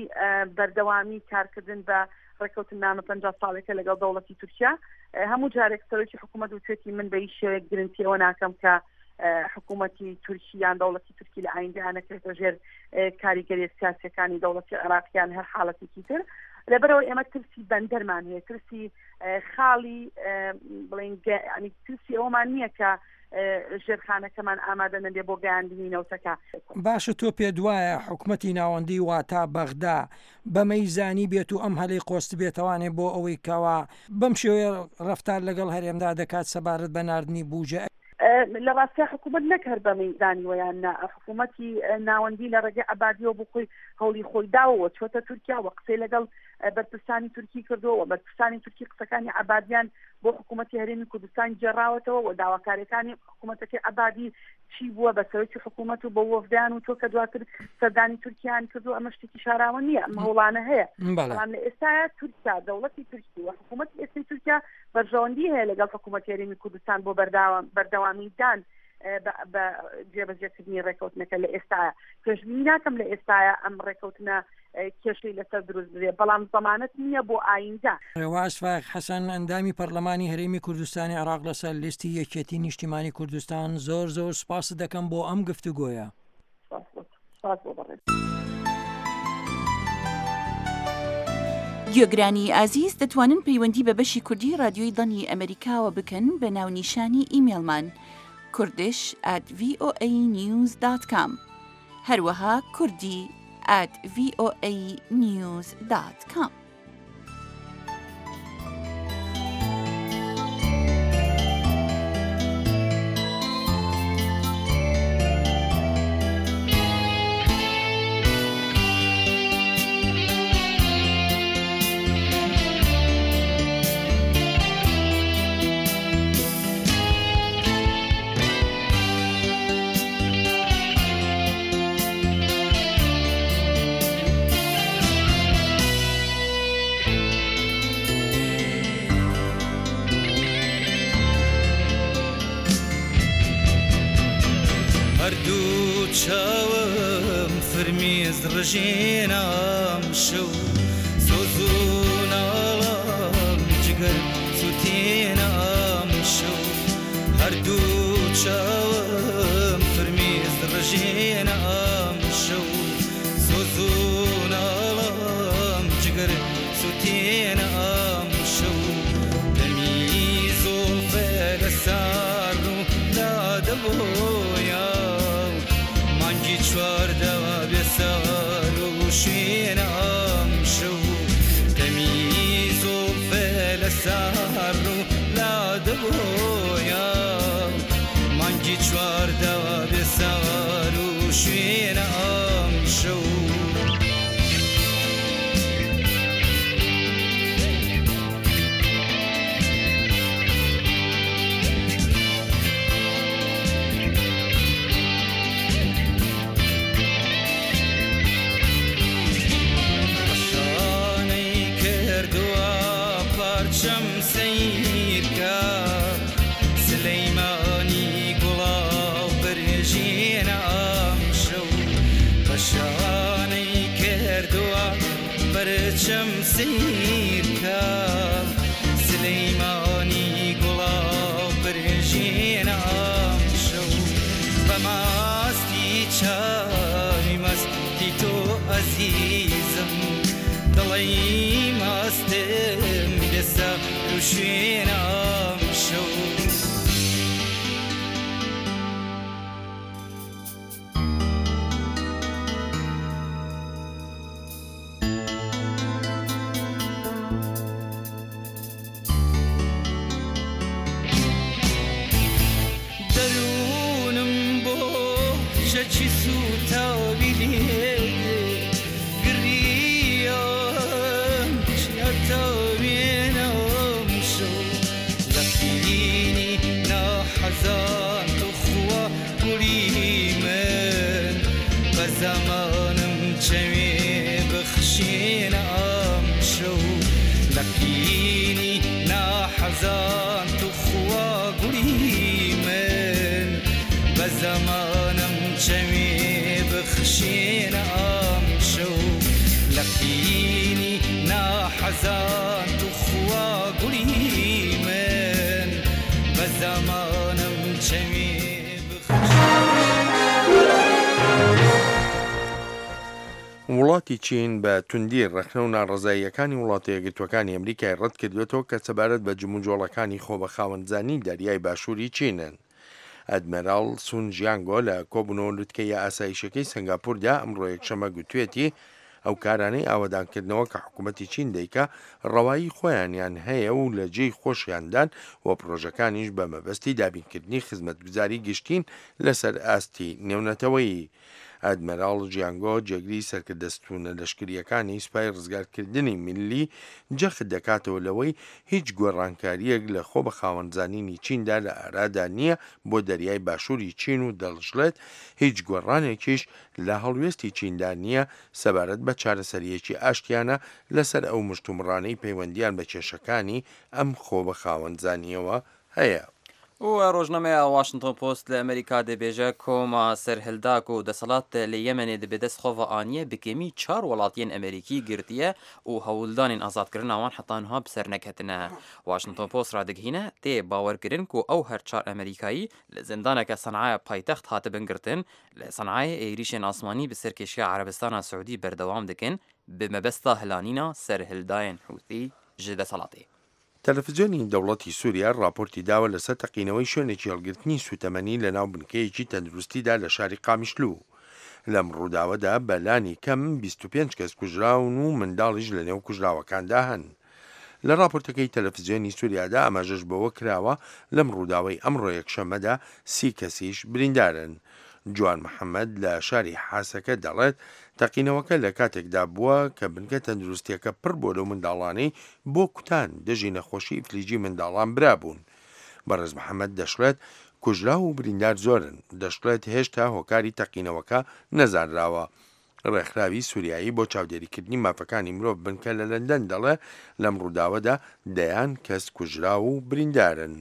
بەردەوامی کارکردن بە ڕێککەوتننامە پەنجا ساڵێکە لەگەڵ دەوڵەتی تورکیا. هەموو جارێک سەرۆکی حکوومەت وتوێتی من بە هیچ شێوەیەک گرنتی ئەوە ناکەم کە حکوومەتی تورکی یان دەوڵەتی تورکی لە ئایندەیان نەکرێتە ژێر کاریگەریە سیاسیەکانی دەوڵەتی عێراقیان هەر حاڵەتێکی تر. لەبەرەوە ئێمە ترسی بەندەرمان هەیە، ترسی خاڵی بڵێن ینی ترسی ئەوەمان نییە کە ژێرخانەکەمان ئامادە نەبێ بۆ گەیاندنی نەوتەکە. باشە تۆ پێت وایە حکومەتی ناوەندی واتا بەغدا بەمەی زانی بێت و ئەم هەلەی قۆست بێتەوانێ بۆ ئەوەی کەوا بەم شێوەیە ڕەفتار لەگەڵ هەرێمدا دەکات سەبارەت بە ناردنی بوجە؟ لە ڕاستیا حکوومەت نەک هەر بەمەی زانیوە یان نا، حکوومەتی ناوەندی لە ڕێگەی عەبادیەوە بۆ خۆی هەوڵی خۆی داوەوە چۆتە تورکیا و قسەی لەگەڵ بەرپرسانی تورکی کردووە و بەرپرسانی تورکی قسەکانی عەبادیان بۆ حکوومەتی هەرێمی کوردستان گێڕاوەتەوە و داواکاریەکانی حکوومەتەکەی عەبادی چی بووە بە سەرۆکی حکوومەت و بە وەفدیان و تۆ کە دواتر سەردانی تورکیان کردو ئەمە شتێکی شاراوە نییە، ئەم هەوڵانە هەیە. بەڵام لە ئێستایا تورکیا، دەوڵەتی تورکی و حکوومەتی ئێستای تورکیا بەرژەوەندی هەیە لەگەڵ حکوومەتی هەرێمی کوردستان بۆ بەردەوامی دان بە جێبەجێکردنی ڕێککەوتنەکە لە ئێستایا. پێشبینی ناکەم لە ئێستایا ئەم ڕێککەوتنە کێشەی لەسەر دروست بێ، بەڵام زەمانەت نییە بۆ ئایندە. ڕێواز فایق حەسەن، ئەندامی پەرلەمانی هەرێمی کوردستانی عێراق لەسەر لیستی یەکێتی نیشتیمانی کوردستان، زۆر زۆر سوپاست دەکەم بۆ ئەم گفتوگۆیە. سوپاس بۆ تۆ. سوپاس بۆ بەڕێز. گوێگرانی ئازیز دەتوانن پەیوەندی بە بەشی کوردی رادیۆی دەنگی ئەمەریکاوە بکەن بە ناونیشانی ئیمێڵمان kurdish at voa news dot com هەروەها کوردی at voa news dot com. هەردوو چاوم فرمیز ڕژێنام شەو سۆز و ناڵام جگەر سوتێنام شەو هەردوو چاوم فرمیز ڕژێنام شەو سۆز و ناڵام جگەر سوتێنام شەو دەمی زوڵفە لە سار و لادەبۆیە مانگی چواردە بێسار و شوێنام شەو دەمی زوڵفە لە سار و لادەبۆیە مانگی چواردە بێسار و شوێنام شەو پەرچەم سەیرکە سلەیمانی گوڵاو پرژێنە ئەمشەو بە ماستی چاوی مەستی تۆ ئەزیزم دڵی ماستم بێسە و شوێنە ئەمشەو. دەروونم بۆ چەکی سووتاوی لێدێ گریان چیاتاوێنە ئەمشەو لە قینی ناحەزان تو خوا گوڵی من بە زەمانم چەوێ بخشێنە ئەمشەو لە قینی ناحەزان تو خوا گوڵی من بە زەمانم چەوێ بخشێنە ئەمشەو لە قینی ناحەزان تو خوا گوڵی من بە زەمانم چەوێ وڵاتی چین بە توندی ڕەخنە و ناڕەزاییەکانی وڵاتە یەکگرتووەکانی ئەمریکای ڕەت کردوێتەوە کە سەبارەت بە جموجۆڵەکانی خۆ بە خاوەنزانی دەریای باشووری چینن. ئەدمێراڵ سون ژیانگۆ لە کۆبوونەوە لوتکەیە ئاسایشەکەی سنگاپوردا ئەمڕۆ یەکشەممە گوتوێتی ئەو کارانەی ئاوەدانکردنەوە کە حکوومەتی چین دەیکا ڕەوایی خۆیانیان هەیە و لە جێی خۆشیاندان و پرۆژەکانیش بە مەبەستی دابینکردنی خزمەتگوزاری گشتین لەسەر ئاستی نێونەتەوەیی. ئەدمێراڵ ژیانگۆ جێگری سەرکردەستونە لەشکریەکانی سوپای ڕزگارکردنی میللی جەخت دەکاتەوە لەوەی هیچ گۆڕانکاریەک لە خۆ بە خاوەنزانینی چیندا لە ئارادا نییە بۆ دەریای باشووری چین و دەڵشڵێت هیچ گۆڕانێکیش لە هەڵوێستی چیندا نییە سەبارەت بە چارەسەریەکی ئاشتیانە لەسەر ئەو مشتومڕانەی پەیوەندیان بە کێشەکانی ئەم خۆ بە خاوەنزانیەوە هەیە. و ڕۆژنامەیە واشنگتۆن پۆست لە ئەمریکا دەبێژە کۆما سەرهەلداک و دەسەڵات لە یەمەنێ دەبێ دەست خۆڤە ئانیە بکەمی چوار وڵاتیان ئەمریکی گرتیە و هەوڵدانین ئازادکردنەوان حتانها بسەر نەکەتنە. واشنگتۆن پۆست ڕادگهینە تێ باوەرکردن و ئەو هەر چوار ئەمریکایی لە زیندانەکە سەنعای پایتەخت هاتبن گرتن لە سەنعای ئێریشên ئاسمانی bi serkêşiya Erebistana Siûdî berdewam dikin bi mebesta hilanîna serhildayên Hûthî ji deselatê. تەلەڤیزیۆنی دەوڵەتی سووریا راپۆرتی داوە لەسەر تەقینەوەی شوێنێکی هەڵگرتنی سوتەمەنی لە ناو بنکەیەکی تەندروستیدا لە شاری قامیشلو. لەم ڕووداوەدا بەلانی کەم بیست و پێنج کەس کوژراون و منداڵیش لە نێو کوژراوەکاندا هەن. لە راپۆرتەکەی تەلەڤیزیۆنی سووریادا ئاماژەش بەوە کراوە لەم ڕووداوەی ئەمڕۆ یەکشەممەدا سی کەسیش بریندارن. جوان محەممەد لە شاری حاسەکە دەڵێت تەقینەوەکە لە کاتێکدا بووە کە بنکە تەندروستیەکە پڕ بۆ لەو منداڵانەی بۆ کوتان دژی نەخۆشی ئیفلیجی منداڵان برابوون. بەڕێز محەممەد دەشڵێت کوژراو و بریندار زۆرن، دەشڵێت هێشتا هۆکاری تەقینەوەکە نەزانراوە. ڕێکخراوی سووریایی بۆ چاودێریکردنی مافەکانی مرۆڤ بنکە لە لەندەن دەڵێ لەم ڕووداوەدا دەیان کەس کوژراو و بریندارن.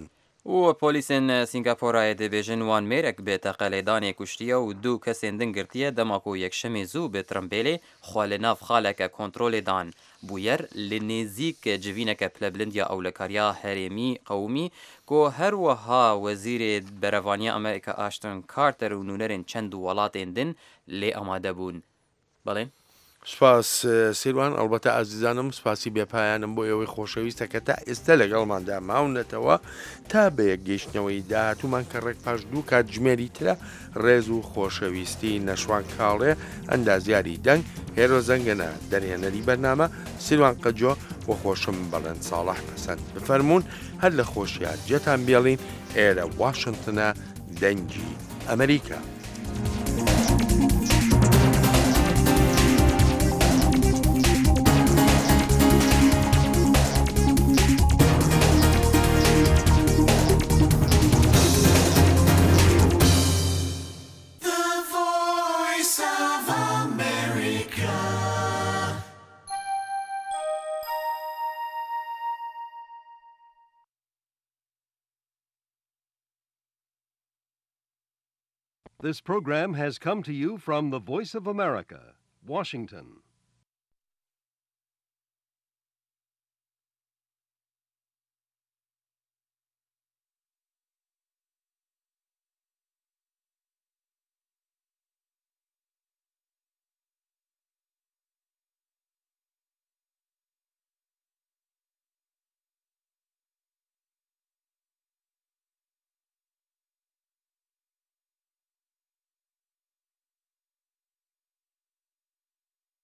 و پۆلیسên Sîngapûrayê dibêjin wan mêrek bi teqelêdanê kuştiye û du kesên din girtiye dema ku yekşemê zû bi tirimbêlê xwe li nav xaleke kontrolê dan. Bûyer li nêzîk civîneke pilebilind ya ewlekariya herêmî qewmî ku her wiha wezîrê berevaniya Amerîka Ashton Carter û nûnerên çend welatên din lê amade bûn. Belê. سپاس سیروان، ئەلبەتە ئازیزانم سپاسی بێپایانم بۆ ئێوەی خۆشەویستە کە تا ئێستا لەگەڵماندا ماونەتەوە تا بە یەکگەیشتنەوەی داهاتوومان کە ڕێک پاش دوو کاتژمێری ترە ڕێز و خۆشەویستی نەشوان کاڵێ، ئەندازیاری دەنگ هێرۆ زەنگەنە، دەرهێنەری بەرنامە سیروان قەجۆ و خۆشم بەڵێن ساڵح پەسەند. بفەرموون هەر لە خۆشیان جێتان بێڵین. ئێرە واشنگتنە، دەنگی ئەمریکا. This program has come to you from the Voice of America, Washington.